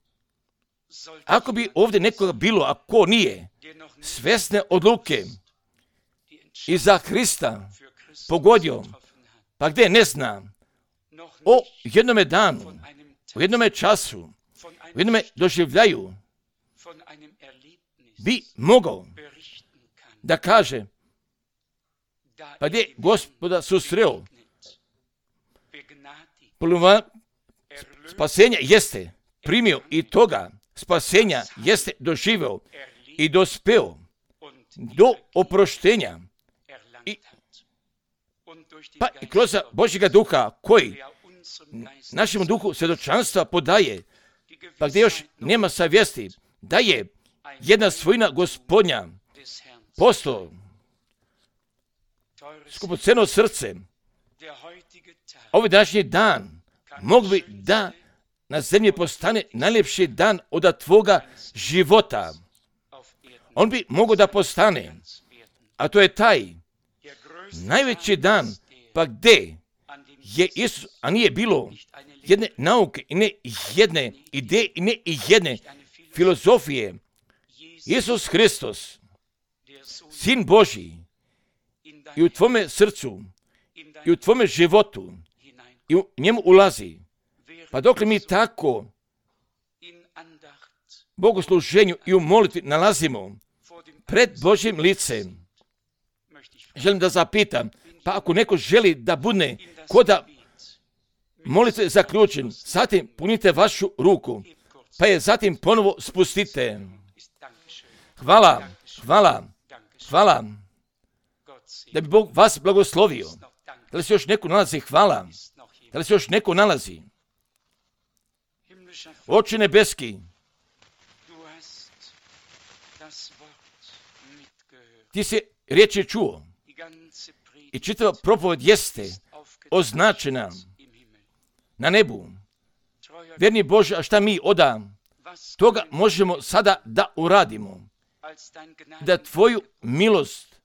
Ako bi ovdje nekoga bilo, a ko nije, svesne odluke i za Hrista pogodio, pa gdje ne zna, o jednome danu, u jednome času, u jednome doživljaju, bi mogao da kaže, pa gdje Gospoda susreo, spasenja jeste primio i toga spasenja jeste doživeo i dospeo do oproštenja. I, pa i kroz Božjega duha koji našemu duhu svjedočanstva podaje, pa gdje još nema savjesti, da je jedna svojina Gospodnja postao skupoceno srce. Ovaj današnji dan mogu bi da na zemlji postane najljepši dan od tvoga života. On bi mogao da postane, a to je taj najveći dan, pa gdje je Isus, a nije bilo jedne nauke i ne jedne ideje i ne jedne filozofije. Isus Hristos, Sin Božji, i u tvome srcu, i u tvome životu, i u njemu ulazi. Pa dok li mi tako bogosluženju i u molitvi nalazimo pred Božjim licem, želim da zapitam, pa ako neko želi da bude koda molitve zaključen, zatim punite vašu ruku, pa je zatim ponovo spustite. Hvala, hvala, hvala, da bi Bog vas blagoslovio. Da li se još neko nalazi? Hvala. Da li se još neko nalazi? Oče nebeski, ti si riječi čuo i čitava propoved jeste označena na nebu. Vjerni Bože, a šta mi oda toga možemo sada da uradimo? Da tvoju milost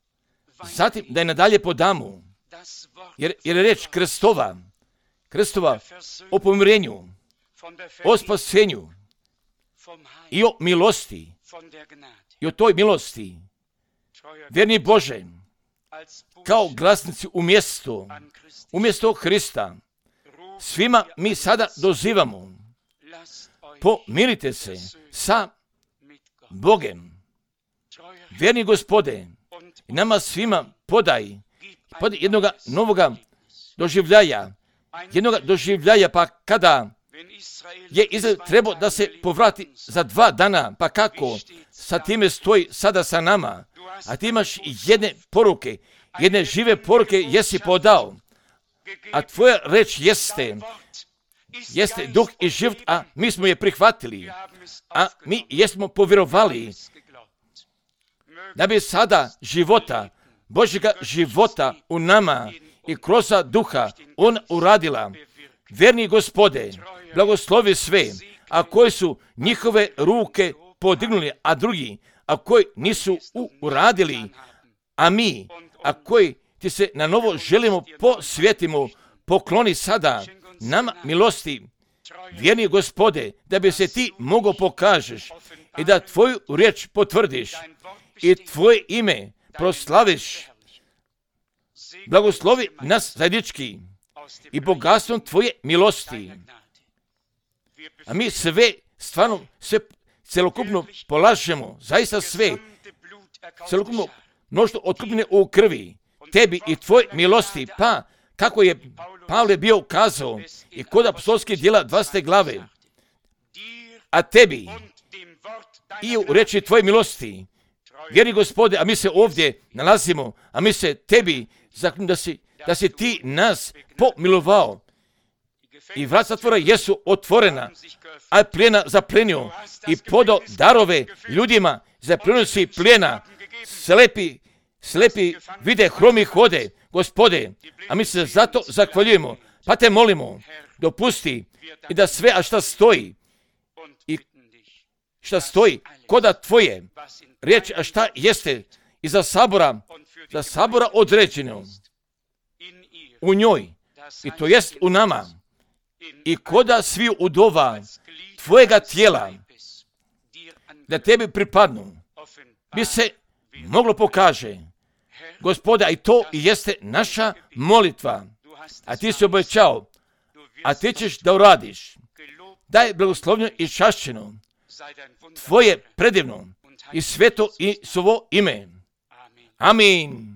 zatim da je nadalje podamo. Jer, jer je reč krstova, krstova o pomirenju, o spasenju i o milosti i o toj milosti. Vjerni Bože, kao glasnici umjesto, umjesto Hrista, svima mi sada dozivamo, pomirite se sa Bogem. Vjerni Gospode, i nama svima podaj, podaj jednoga novoga doživljaja, jednoga doživljaja, pa kada je Izrael trebao da se povrati za dva dana, pa kako sa time stoji sada sa nama, a ti imaš jedne poruke, jedne žive poruke jesi podao, a tvoja reč jeste, jeste duh i život, a mi smo je prihvatili, a mi jesmo povjerovali, da bi sada života, Božjega života u nama i kroz duha on uradila. Vjerni Gospode, blagoslovi sve, a koji su njihove ruke podignuli, a drugi, a koji nisu uradili, a mi, a koji ti se na novo želimo posvetimo, pokloni sada nama milosti. Vjerni Gospode, da bi se ti mogao pokažeš i da tvoju riječ potvrdiš i tvoje ime proslaviš. Blagoslovi nas zajednički i bogatstvom tvoje milosti. A mi sve, stvarno, sve celokupno polažemo, zaista sve, celokupno mnoštvo otkupljene u krvi, tebi i tvoje milosti, pa kako je Pavle bio kazao i kod apostolskih djela dvadesete glave, a tebi i u reči tvoje milosti, vjeri Gospode, a mi se ovdje nalazimo, a mi se tebi, da si, da si ti nas pomilovao i vrat zatvora jesu otvorena, a plijena zaplenio i podao darove ljudima, zaplenio si plijena, slepi, slepi vide, hromi hode, Gospode, a mi se zato zahvaljujemo, pa te molimo, dopusti i da sve, a šta stoji, i šta stoji, koda tvoje, riječ, a šta jeste, i za sabora, za sabora određeno, u njoj, i to jest u nama, i koda svi udova tvojega tijela, da tebi pripadnu, bi se moglo pokaže, Gospode, a i to jeste naša molitva, a ti si obećao, a ti ćeš da uradiš. Daj blagoslovljeno i čašćeno tvoje predivno i sveto i svoje ime. Amin.